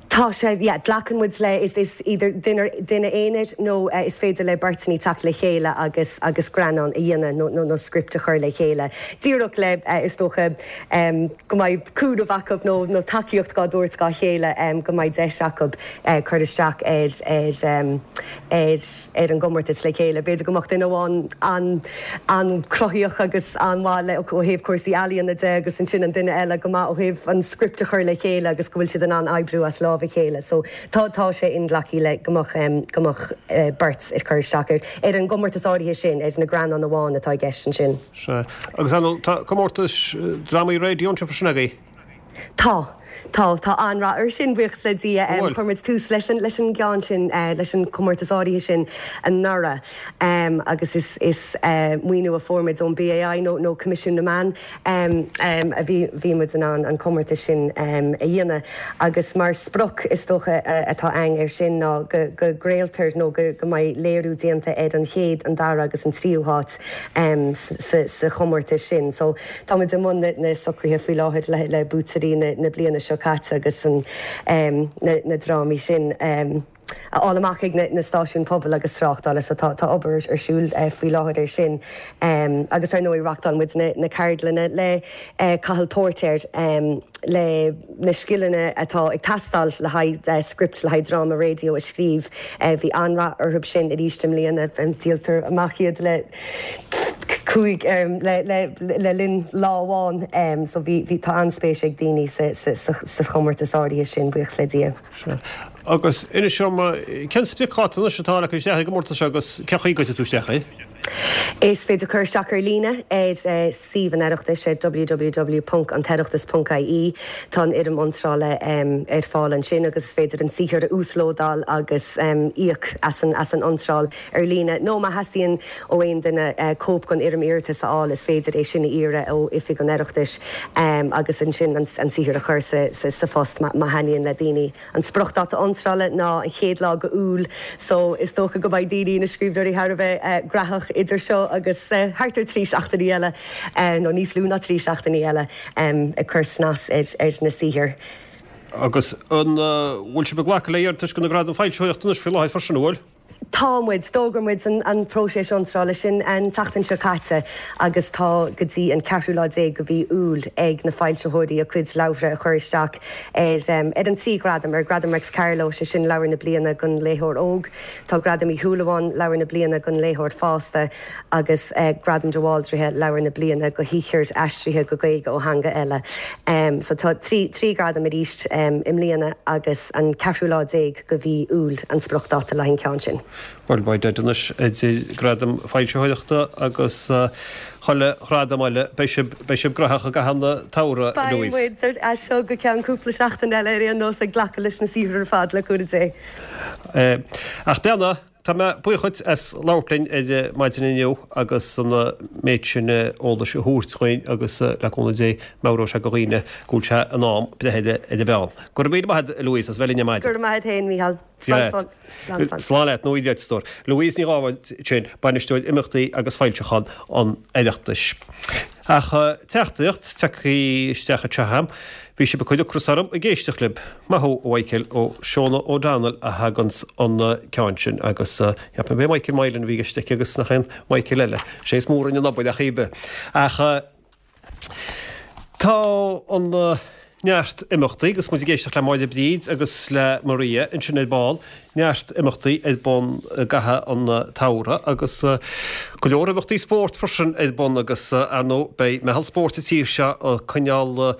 Tá. Tá sé, yeah. Glacann muid le, is, is idir duine, duine aonair nó is féidir le beirteanna teacht le chéile agus, agus greannán a dhéanamh nó, nó, nó script a chur le chéile. Díreach le, is dócha, go mbeidh cúnamh acu nó, nó tacaíocht dhá dtabhairt dhá chéile, go mbeidh deis acu cur isteach ar, ar, ar ar an gcomórtas le chéile. B'fhéidir go mbeadh duine amháin an-chruthaíoch agus an-mhaith le ó thaobh cúrsaí ealaíona de agus ansin an duine eile go maith ó thaobh an script a chur le chéile agus go bhfuil siad in ann oibriú as lámh a chéile. So tá tá sé inghlactha le go mbeadh go mbeadh beirt ag cur isteach ar ar an gcomórtas áirithe sin, ar na greannáin amháin atá i gceist ansin. Sea. Agus ar ndóigh tá comórtas drámaí raidió anseo freisin agaibh? Tá. Tá. Tá an-rath air sin, buíochas le Dia. An bhfuil? Chuir muid tús leis an, leis an gceann sin, leis an chomórtas áirithe sin anuraidh agus is, is maoiniú a fuair muid ón BAI nó, nó Coimisiún na Meán a bhí, bhí muid in ann an comórtas sin a dhéanamh agus mar sprioc is dócha atá againn air sin ná go, go gcraoltar nó go, go mbeidh léiriú déanta ar an chéad, an dara agus an tríú háit sa, sa chomórtas sin. So. Táimid i mbun na socruithe faoi láthair le buaiteoirí na bliana seo caite agus na drámaí sin a fháil amach ag na stáisiúin pobail agus tráchtála so tá obair ar siúl faoi láthair ar sin. Agus ar ndóigh reachtáil muid na ceardlanna le Cathal Póirtéir le na scileanna atá ag teastáil le haghaidh script le haghaidh dráma raidió a scríobh. Bhí an-rath orthu sin arís i mbliana. Díoltar amach iad le. 5 le linn lá amháin so bhí, bhí, tá an-spéis ag daoine sa, sa, sa, sa chomórtas áirithe sin, buíochas le Dia. Sea. Agus inis dom, cén spriocdháta anois atá le cur isteach ar an gcomórtas seo agus cén chaoi a gcuirfidh tú isteach é? Is féidir cur isteach ar líne ar suíomh an Oireachtais ar www.antoireachtas.ie. Tá an fhoirm iontrála ar fáil ansin agus is féidir an saothar a uaslódáil agus íoc as an, as an iontráil. ar líne, nó má theastaíonn ó aon duine cóip den fhoirm iarratais a fháil, is féidir é sin a iarraidh ó Oifig an Oireachtais agus ansin an saothar a chur sa phost má thaitníonn le daoine. An spriocdháta iontrála ná an chéad lá de Iúil so is dócha go mbeidh daoine, na scríbhneoirí thar a bheith graitheach idir seo agus thart ar 3 seachtainí eile, nó níos lú ná 3 seachtainí eile, ag cur snas ar na saothair. Agus an bhfuil sibh ag glacadh le hiarratais do na Gradaim Foilsitheoireachta anois faoi láthair freisin, an bhfuil? Tá muid. D'fhógair muid an próiseas iontrála sin an tseachtain seo caite agus tá go dtí an ceathrú lá déag de mhí Iúil ag na foilsitheoirí a gcuid leabhartha a chur isteach ar ar an trí ghradam, ar Gradam Réics Carló, sé sin Leabhar na Bliana don Léitheoir Óg, tá Gradam Uí Shúilleabháin, Leabhar na Bliana don Léitheoir Fásta agus Gradam de Bhaldraithe, Leabhar na Bliana do shaothar aistrithe go Gaeilge ó theanga eile. So tá 3 ghradam arís i mbliana agus an ceathrú lá déag de mhí Iúil an spriocdháta le haghaidh an ceann sin. Bhuel, beidh deis anois idir Gradaim Foilsitheoireachta agus chuile ghradam eile, beidh sibh, beidh sibh graitheach i gcaitheamh an tsamhraidh, a Louise. Beidh muid as seo go ceann cúpla seachtain eile ar aon nós ag glacadh leis na saothair ar fad, le cúnamh Dé. Ach beannacht. Tá mé buíoch dhuit as labhairt linn ar maidin inniu agus an méid sin eolais a thabhairt dhuinn agus le cúnamh Dé meabhróidh sé do dhaoine go bhfuil sé in am breith ar an bpeann. Go raibh míle maith agat a Louise as bheith linn ar maidin. Go raibh maith agat féin, Mícheál. Slán leat. Slán, slán. Slán leat, nó iad a stór. Louise Ní Dhábháin sin, Bainisteoir Imeachtaí agus Foilseachán an Oireachtais. Ach teachtaireacht tagtha isteach anseo agam, bhí sibh ag cur ocras orm ag éisteacht libh. Maith thú, a Mhichael, ó Shona O'Donnell a thaganns an ceann sin agus cheap mé b'é Michael Moylan a bhí i gceist aici agus nach aon Michael eile. Sé is mór againn an obair ach ar bith. Ach tá an neart imeachtaí, agus muid ag éisteacht le Máire Bríd agus le Maria ansin ar ball, neart imeachtaí ar bun i gcaitheamh an tsamhraidh agus go leor imeachtaí spóirt freisin ar bun agus ar ndóigh beidh meitheal spóirt sa tír seo ag coinneáil,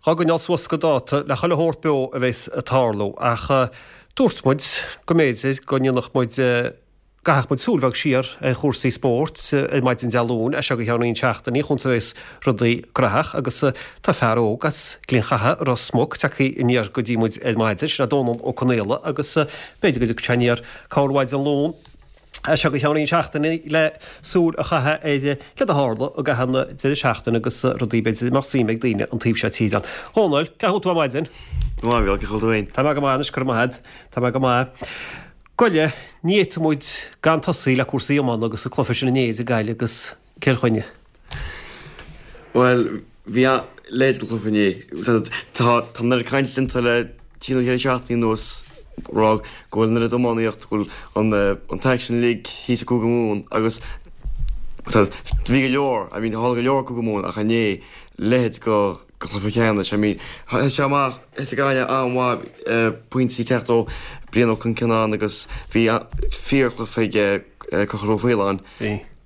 dhá gcoinneáil suas go dáta le chuile shórt beo a bheas ag tarlú ach dúirt muid go mb'fhéidir go ndéanfadh muid gcaithfeadh muid súil bheag siar ar chúrsaí spóirt ar maidin Dé Luain, as seo go ceann roinnt seachtainí, chúns a bheas rudaí graitheach agus tá fear óg as Gleann Chatha, Ros Muc, tagtha aniar go dtí muid ar maidin, sin é Dónal Ó Conaola agus b'fhéidir go dtiocfaidh sé aniar corr mhaidin Luain as seo go ceann roinnt seachtainí le súil a chaitheamh ar céard a tharla i gcaitheamh na deireadh seachtaine agus rudaí b'fhéidir a mbeadh suim ag daoine an taobh seo tíre ann. A Dhónaill, cén chaoi a bhfuil tú ar maidin? Go maith, a Mhícheáil, cén chaoi a bhfuil tú féin? Tá mé go maith anois, go raibh maith agat. Tá mé go maith. Goile, ní fhéadfadh muid gan tosaí le cúrsaí iomána agus an cluiche sin inné idir Gaillimh agus Cill Chainnigh. Bhuel, bhí a leithéid de chluiche inné. Tá tá an oiread cainte déanta le. trí nó cheithre seachtainí anuas ag rá go bhfuil an oiread iománaíocht, go bhfuil an an t-aicsean uilig thíos i gCúige Mumhan agus bhí go leor, I mean tharla go leor i gCúige Mumhan ach inné leithéid go go chluiche ceannais, I mean thosaigh sé amach, thosaigh Gaillimh an-mhaith, pointí ag teacht ó Brian Ó Conceannáin agus bhí fíorchluiche ag Conchúr Ó Faoláin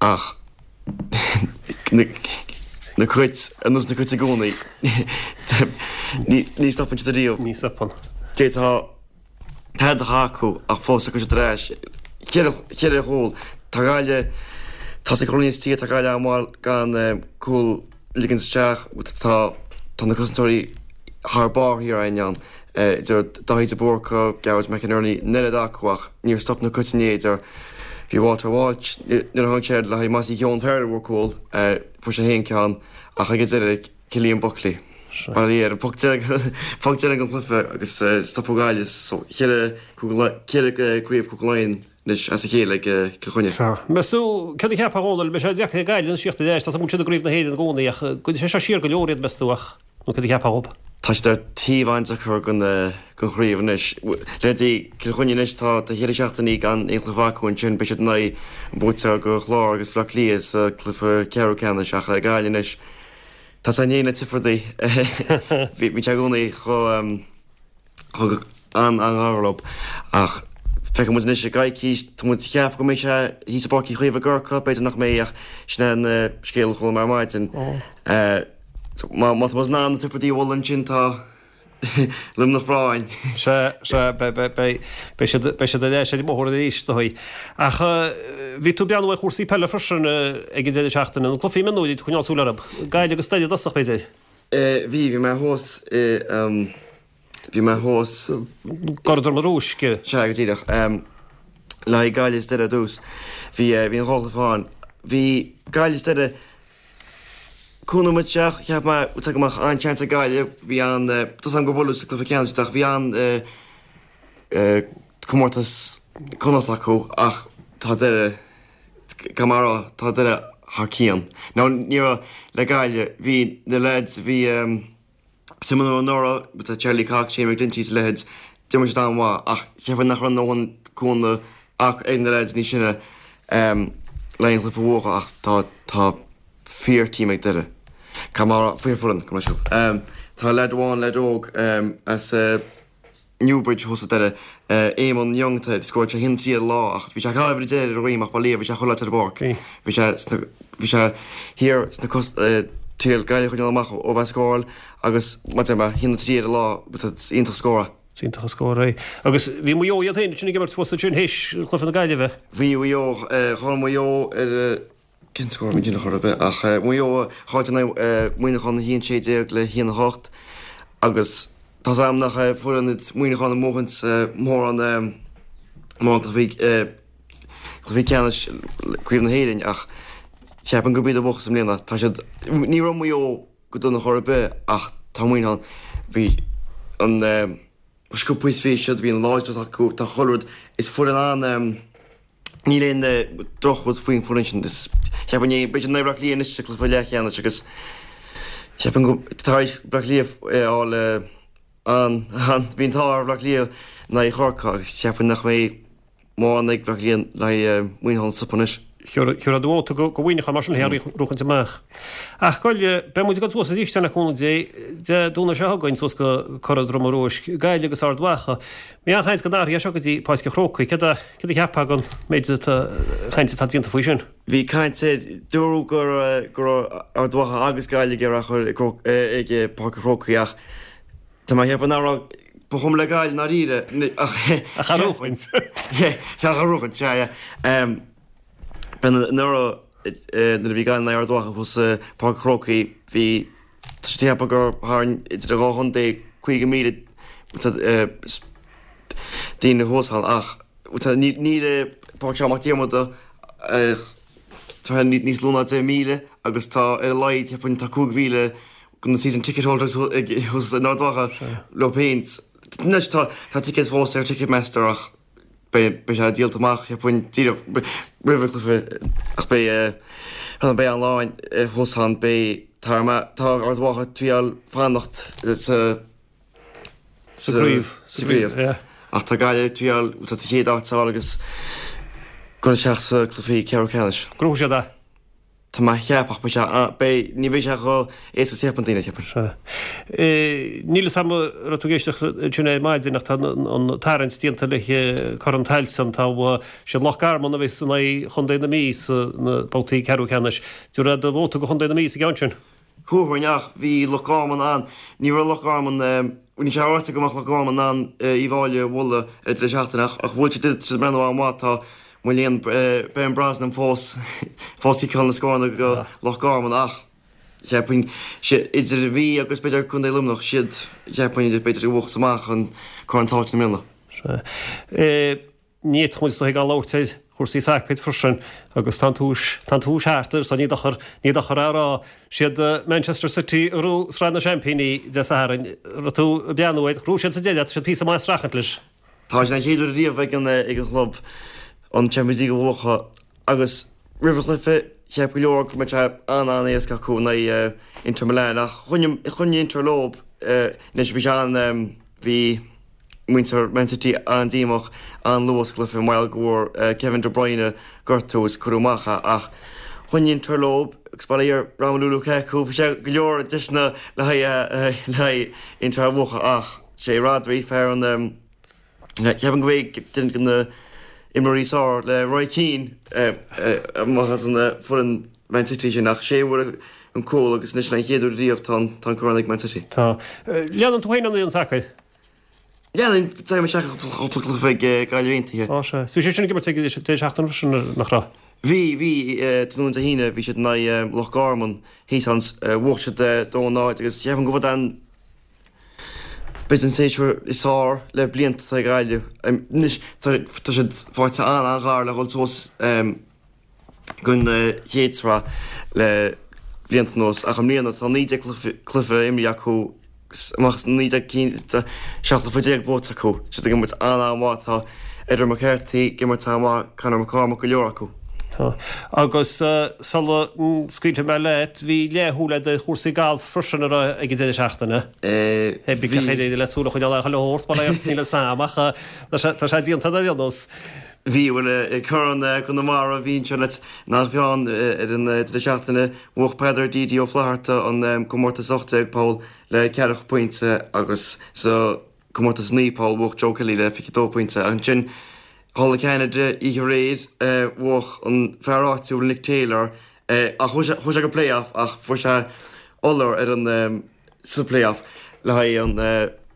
ach na Cait, ar nós na Cait i gcónaí, ní stopann siad ariamh. Ní stopann. D'fhéadfá tada a chaitheamh acu ach fós tiocfaidh siad ar ais. Cheithre chúl. Tá Gaillimh, tá sa gcruinneas tíre, tá Gaillimh an-mhaith gan cúl a ligean isteach. Tá tá na cosantóirí thar barr thiar againn ann. Idir Daithí de Búrca, Gearóid McInerney, an oiread acu ach níor stop na Cait inné idir bhí Walter Walsh, nuair a tháinig sé le haghaidh Mossy Keoghan Ferrer a bhfuair cúl, fuair sé féin ceann ach ag an deireadh Cillian Buckley. Bail ó Dhia air, poc deireadh den chluiche agus stopadh Gaillimh so cheithre craobh Cúige Laighean anois as a chéile ag Cill Chainnigh. Sea. Meas tú, céard a cheapfá a Dhónaill, mbeidh sé deacair ag Gaillimh anois tíocht ar ais, tá a fhios agam go bhfuil siad i gCraobh na hÉireann i gcónaí ach goidfidh sé seo siar go leor iad meas tú ach nó céard a cheapfá dhób? Tá siad ar taobh an-deacair den chraobh anois. Leithéidí Cill Chainnigh anois tá cheithre seachtainí gan aon chluiche acu ansin beidh siad in aghaidh an buaiteoir de Chlár agus Bleá Cliath sa cluiche ceathrú ceannais ach le Gaillimh anois Tá sé inné na Tiobradaigh. Bhí sé i gcónaí chomh an-an-ghar leo ach feicfidh muid anois i gcoicís. Tá muid ag ceapadh go mbeidh sé thíos i bPáirc Uí Chaoimh i gCorcaigh, b'fhéidir nach mbeidh ach sin é an scéal a chuala mé ar maidin. Má tá muid in ann na Tiobradaigh a bhualadh ansin tá Luimneach breá againn. Sea, sea, beidh, beidh siad, beidh siad ar ais ar an mbóthar arís, is dóigh. Ach bhí tú ag breathnú ar chúrsaí peile freisin ag an deireadh seachtaine, na cluichí mionúir, bhí tú ag coinneáil súil orthu. Gaillimh agus Doire i dtosach, b'fhéidir? Bhí, bhí mé thuas i, bhí mé thuas. gCora Droma Rúisc. Sea, go díreach. Le haghaidh Gaillimh is Doire ar dtús. Bhí, bhí an dhá chluiche ann. Bhí Gaillimh is Doire, Cúig nóiméad isteach, cheap mé go mbeadh an-seans ag Gaillimh. Bhí an, tá 's agam gur buaileadh sa cluiche ceannais ach bhí an comórtas Connacht acu ach tá Doire, caithfidh mé a rá, tá Doire thar cionn. Now ní raibh le Gaillimh, bhí na lads, bhí suim anuraidh, tá Charlie Cox, Shane McGlinchey is a leithéid, d'imir siad an-mhaith ach cheapfainn nach raibh a ndóthain cúnamh ach ag na leaids níos sine le aon chluiche a bhuachan ach tá tá fíor team ag Doire. Caithfidh mé a rá, fíor foireann, go mbeidh siad. Tá leaid amháin, leaid óg as Newbridge thuas i Doire, Eamon Young atá air, scóráil sé 1-3 ar an lá ach bhí sé ag caitheamh uimhir 10 ar a dhroim ach bail ó Dhia bhí sé chuile áit ar an bpáirc. Bhí sé sna, bhí sé thiar sna cos, triail Gaillimh a choinneáil amach ó bheith ag scóráil agus mar a deir mé, 1-3 ar an lá, is iontach scór é. Is iontach an scór é. Agus bhí Maigh Eo iad féin ansin ag imirt thuas ansin théis chluiche na Gaillimhe. Bhí Maigh Eo, chaill Maigh Eo ar, cén scór a bhí ansin ar chor ar bith ach Maigh Eo a chaill in aghaidh Muineachán 1-16 le 1-8 agus tá 's agam nach foireann iad Muineachán a mbuachan mórán mórán cluichí cluichí ceannais Craobh na hÉireann ach cheapfainn gurb iad a bhuafas i mbliana. Tá siad, ní raibh Maigh Eo go dona chor ar bith ach tá Muineachán, bhí an sciobtha is bhí siad, bhí an láidreacht acu, tá chuile rud, is foireann an, níl aon drochrud faoin bhfoireann sin, is cheapfainn é, beidh siad in aghaidh Bleá Cliath anois sa cluiche leathcheannais agus cheapfainn go, tar éis Bleá Cliath a fháil an, an, bhí an t-ádh ar Bhleá Cliath in aghaidh Chorcaí agus cheapfainn nach mbeidh mórán ag Bleá Cliath le haghaidh Muineachán a stopadh anois. Thiúrfá do vóta go Mhuineachán mar sin é a bhuachaint amach. Ach Gaillimh, beidh muid ag dul suas arís le cúnamh Dé, Dé Domhnaigh seo chugainn suas go Cora Droma Rúisc, Gaillimh agus Ard Mhacha. Bhí an-chaint go n-athróidh sé seo go dtí Páirc an Chrócaigh. Céard a céard a cheapfá den méid atá chaint atá déanta faoi sin? Bhí caint air, dúradh go go raibh Ard Mhacha agus Gaillimh ag iarraidh a chur ag Páirc an Chrócaigh ach tá mé ag ceapadh nach raibh, ba chuma le Gaillimh i ndáiríre ach Ach a bhuachaint. Ach a bhuachaint, sea, yeah. Anuraidh nuair a bhí Gaillimh in aghaidh Ard Mhacha thuas i Páirc an Chrócaigh bhí tá siad ag ceapadh gur tharraing idir an dhá chontae 50,000 daoine thuas ann ach níl i Páirc Seán Mac Diarmada tá níos lú ná 10,000 agus tá ar a laghad cheapfainn tá 5,000 de na season ticket holders thuas in Ard Mhacha leo féin. Anois tá ticéid fós ar Ticketmaster ach Beidh sé díolta amach, cheapfainn, díreach roimh an chluiche ach beidh beidh an-lán thuas ann. Beidh tá tá Ard Mhacha ag triail fanacht sa Sa gcraobh. Sa gcraobh. Yeah. Ach tá Gaillimh ag triail an chéad áit a fháil agus dul isteach sa cluichí ceathrú ceannais. Gnóthóidh siad é. Tá mé a cheapadh ach beidh sé an, beidh, ní bheidh sé chomh éasca is a cheapann daoine, ceapaim. Sea. Níl fhios a'm an raibh tú ag éisteacht ansin ar maidin ach tá an tarraingt déanta le Corn Tailteann. Tá, siad Loch Garman a bheas in aghaidh Chontae na Mí sa na babhtaí ceathrú ceannais. Dtabharfá do vóta go Chontae na Mí sa gceann sin? Thabharfainn ach bhí Loch Garman an, ní raibh Loch Garman, ní sé ráite go mbeadh Loch Garman in ann Uíbh Fhailí a bhualadh ar an deireadh seachtaine ach ach bhuail siad, tá siad ag breathnú an-mhaith, tá Mo léan, Ben Brosnan fós fós ag ciceáil na scóranna go Loch Garman ach cheapfainn idir an Mhí agus b'fhéidir Contae Luimneach siad cheapfainn b'fhéidir a bhuafas amach an Corn Tailteann i mbliana. Sea. Ní fhéadfadh muid is dóigh gan labhairt ar chúrsaí sacair freisin agus tá an tús, tá an tús thart air so ní dochar, ní dochar é a rá. Siad Manchester City a ghnóthaigh Sraith na Seaimpíní Dé Sathairn. Raibh tú ag breathnú air, ghnóthaigh siad sa deireadh, tá siad píosa maith ag streachailt leis. Tá sé an chéad uair riamh ag an ag an chlub an Champions League a bhuachan agus roimh an chluiche cheap go leor go mbeadh sé an-an-éasca acu in aghaidh Inter Milan ach choinnigh choinnigh Inter leo anois bhí sé an bhí muintir Man City an-díomách an-luath sa chluiche mar gheall go bhfuair Kevin De Bruyne gortú is cuireadh amach é ach choinnigh Inter leo agus bail ó Dhia ar Romelu Lukaku bhí sé go leor deiseanna le haghaidh le haghaidh Inter a bhuachan ach Sé Rodri fear an Ceapaim go bhfuil duine de na imreoirí is fearr le Roy Keane amach as an foireann Man City sin ach sé a fuair an cúl agus anois an chéad uair riamh tá an corn ag Man City. Tá. Leanann tú féin an sacar? Leanaim, téim isteach i gcúpla cluiche ag Gaillimh Aontaithe. Á sea. Bhí sé sin ag imirt ag an deireadh seachtaine freisin, nach raibh? Bhí, bhí, tráthnóna Dé hAoine bhí siad in aghaidh Loch Garman thíos ann, bhuaigh siad 2-0 agus ceapaim go bhfuil an B'fhéidir an séasúr is fearr le blianta ag Gaillimh. Anois tá siad faighte an-an-ghar le dhul suas don chéad sraith le blianta anuas ach i mbliana tá 19 cluiche imrithe acu amach as 19 cinn tá 17 cluiche buaite acu. Tá siad ag imirt an-an-mhaith. Tá Edward McCarthy ag imirt an-mhaith, Conor McCormack, go leor acu. Tá. Agus sula scaoilfidh mé leat, bhí leathshúil agat ar chúrsaí gailf freisin an raibh ag an deireadh seachtaine. Bhí. Bhí cén chaoi le súil a choinneáil ar chuile shórt, mar níl fhios a'm ach tá sé déanta ar aon nós. Bhí, bhuel, Corn Chonamara, bhí anseo leat nach bhfeann ar an deireadh seachtaine. Bhuaigh Peadar DD Ó Flatharta an comórtas 18 poll le ceathracha pointe agus sa Comórtas 9 poll, bhuaigh Joe Kelly le 22 pointe. Ansin, thall i gCeanada, oíche aréir, bhuaigh an fear áitiúil Nick Taylor, ach chuaigh sé go play-off ach fuair sé iolar ar an sa play-off le haghaidh an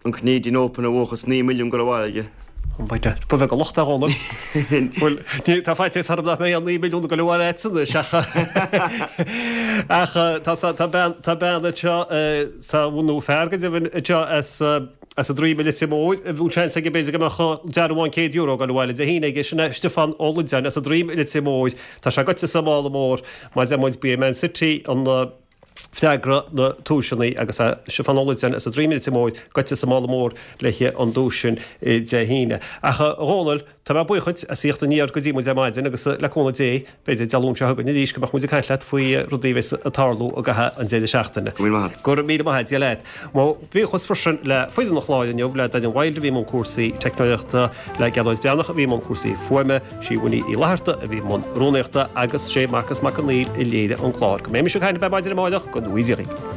an Canadian Open a bhuachan is 9 milliún ag dul abhaile aige. Ba bheag an locht é a Dhónaill. Bhuel, tá faitíos orm nach mbeidh aon 9 milliún ag dul abhaile agat anois ach ach tá bean tá bean anseo Tá nó fear go deimhin anseo as as an Droim i Leitir Móir a bhfuil seans aige b'fhéidir go mbeadh dearbhán €100 ag dul abhaile Dé hAoine aige, sin é Stiofán Ó Loideáin as an Droim i Leitir Móir. Tá sé goite sa mála mór mar deir muid ba é Man City an freagra na duaiseanna agus é Stiofán Ó Loideáin as an Droim i Leitir Móir goite sa mála mór le an duais sin Dé hAoine. Ach a Dhónaill, Tá mé buíoch dhuit as theacht aniar go dtí muid ar maidin agus le cúnamh Dé, b'fhéidir Dé Luain seo chugainn arís go mbeadh muid ag caint leat faoi rudaí a bheas ag tarlú i gcaitheamh an deireadh seachtaine. Go raibh míle maith agat. Go raibh míle maith agat, Dia leat. Mo bhuíochas freisin le foireann an chláir inniu, le Daniel Wilde a bhí i mbun cúrsaí teicneolaíochta, le Gearóid Breathnach a bhí i mbun cúrsaí fuaime, sí Winnie Uí Fhlatharta a bhí i mbun rúnaíochta agus sé Marcas Mac Conghail a léirigh an clár. Go mbeidh mise ag caint libh ar maidin amárach, go ngnóthaí Dia dhaoibh.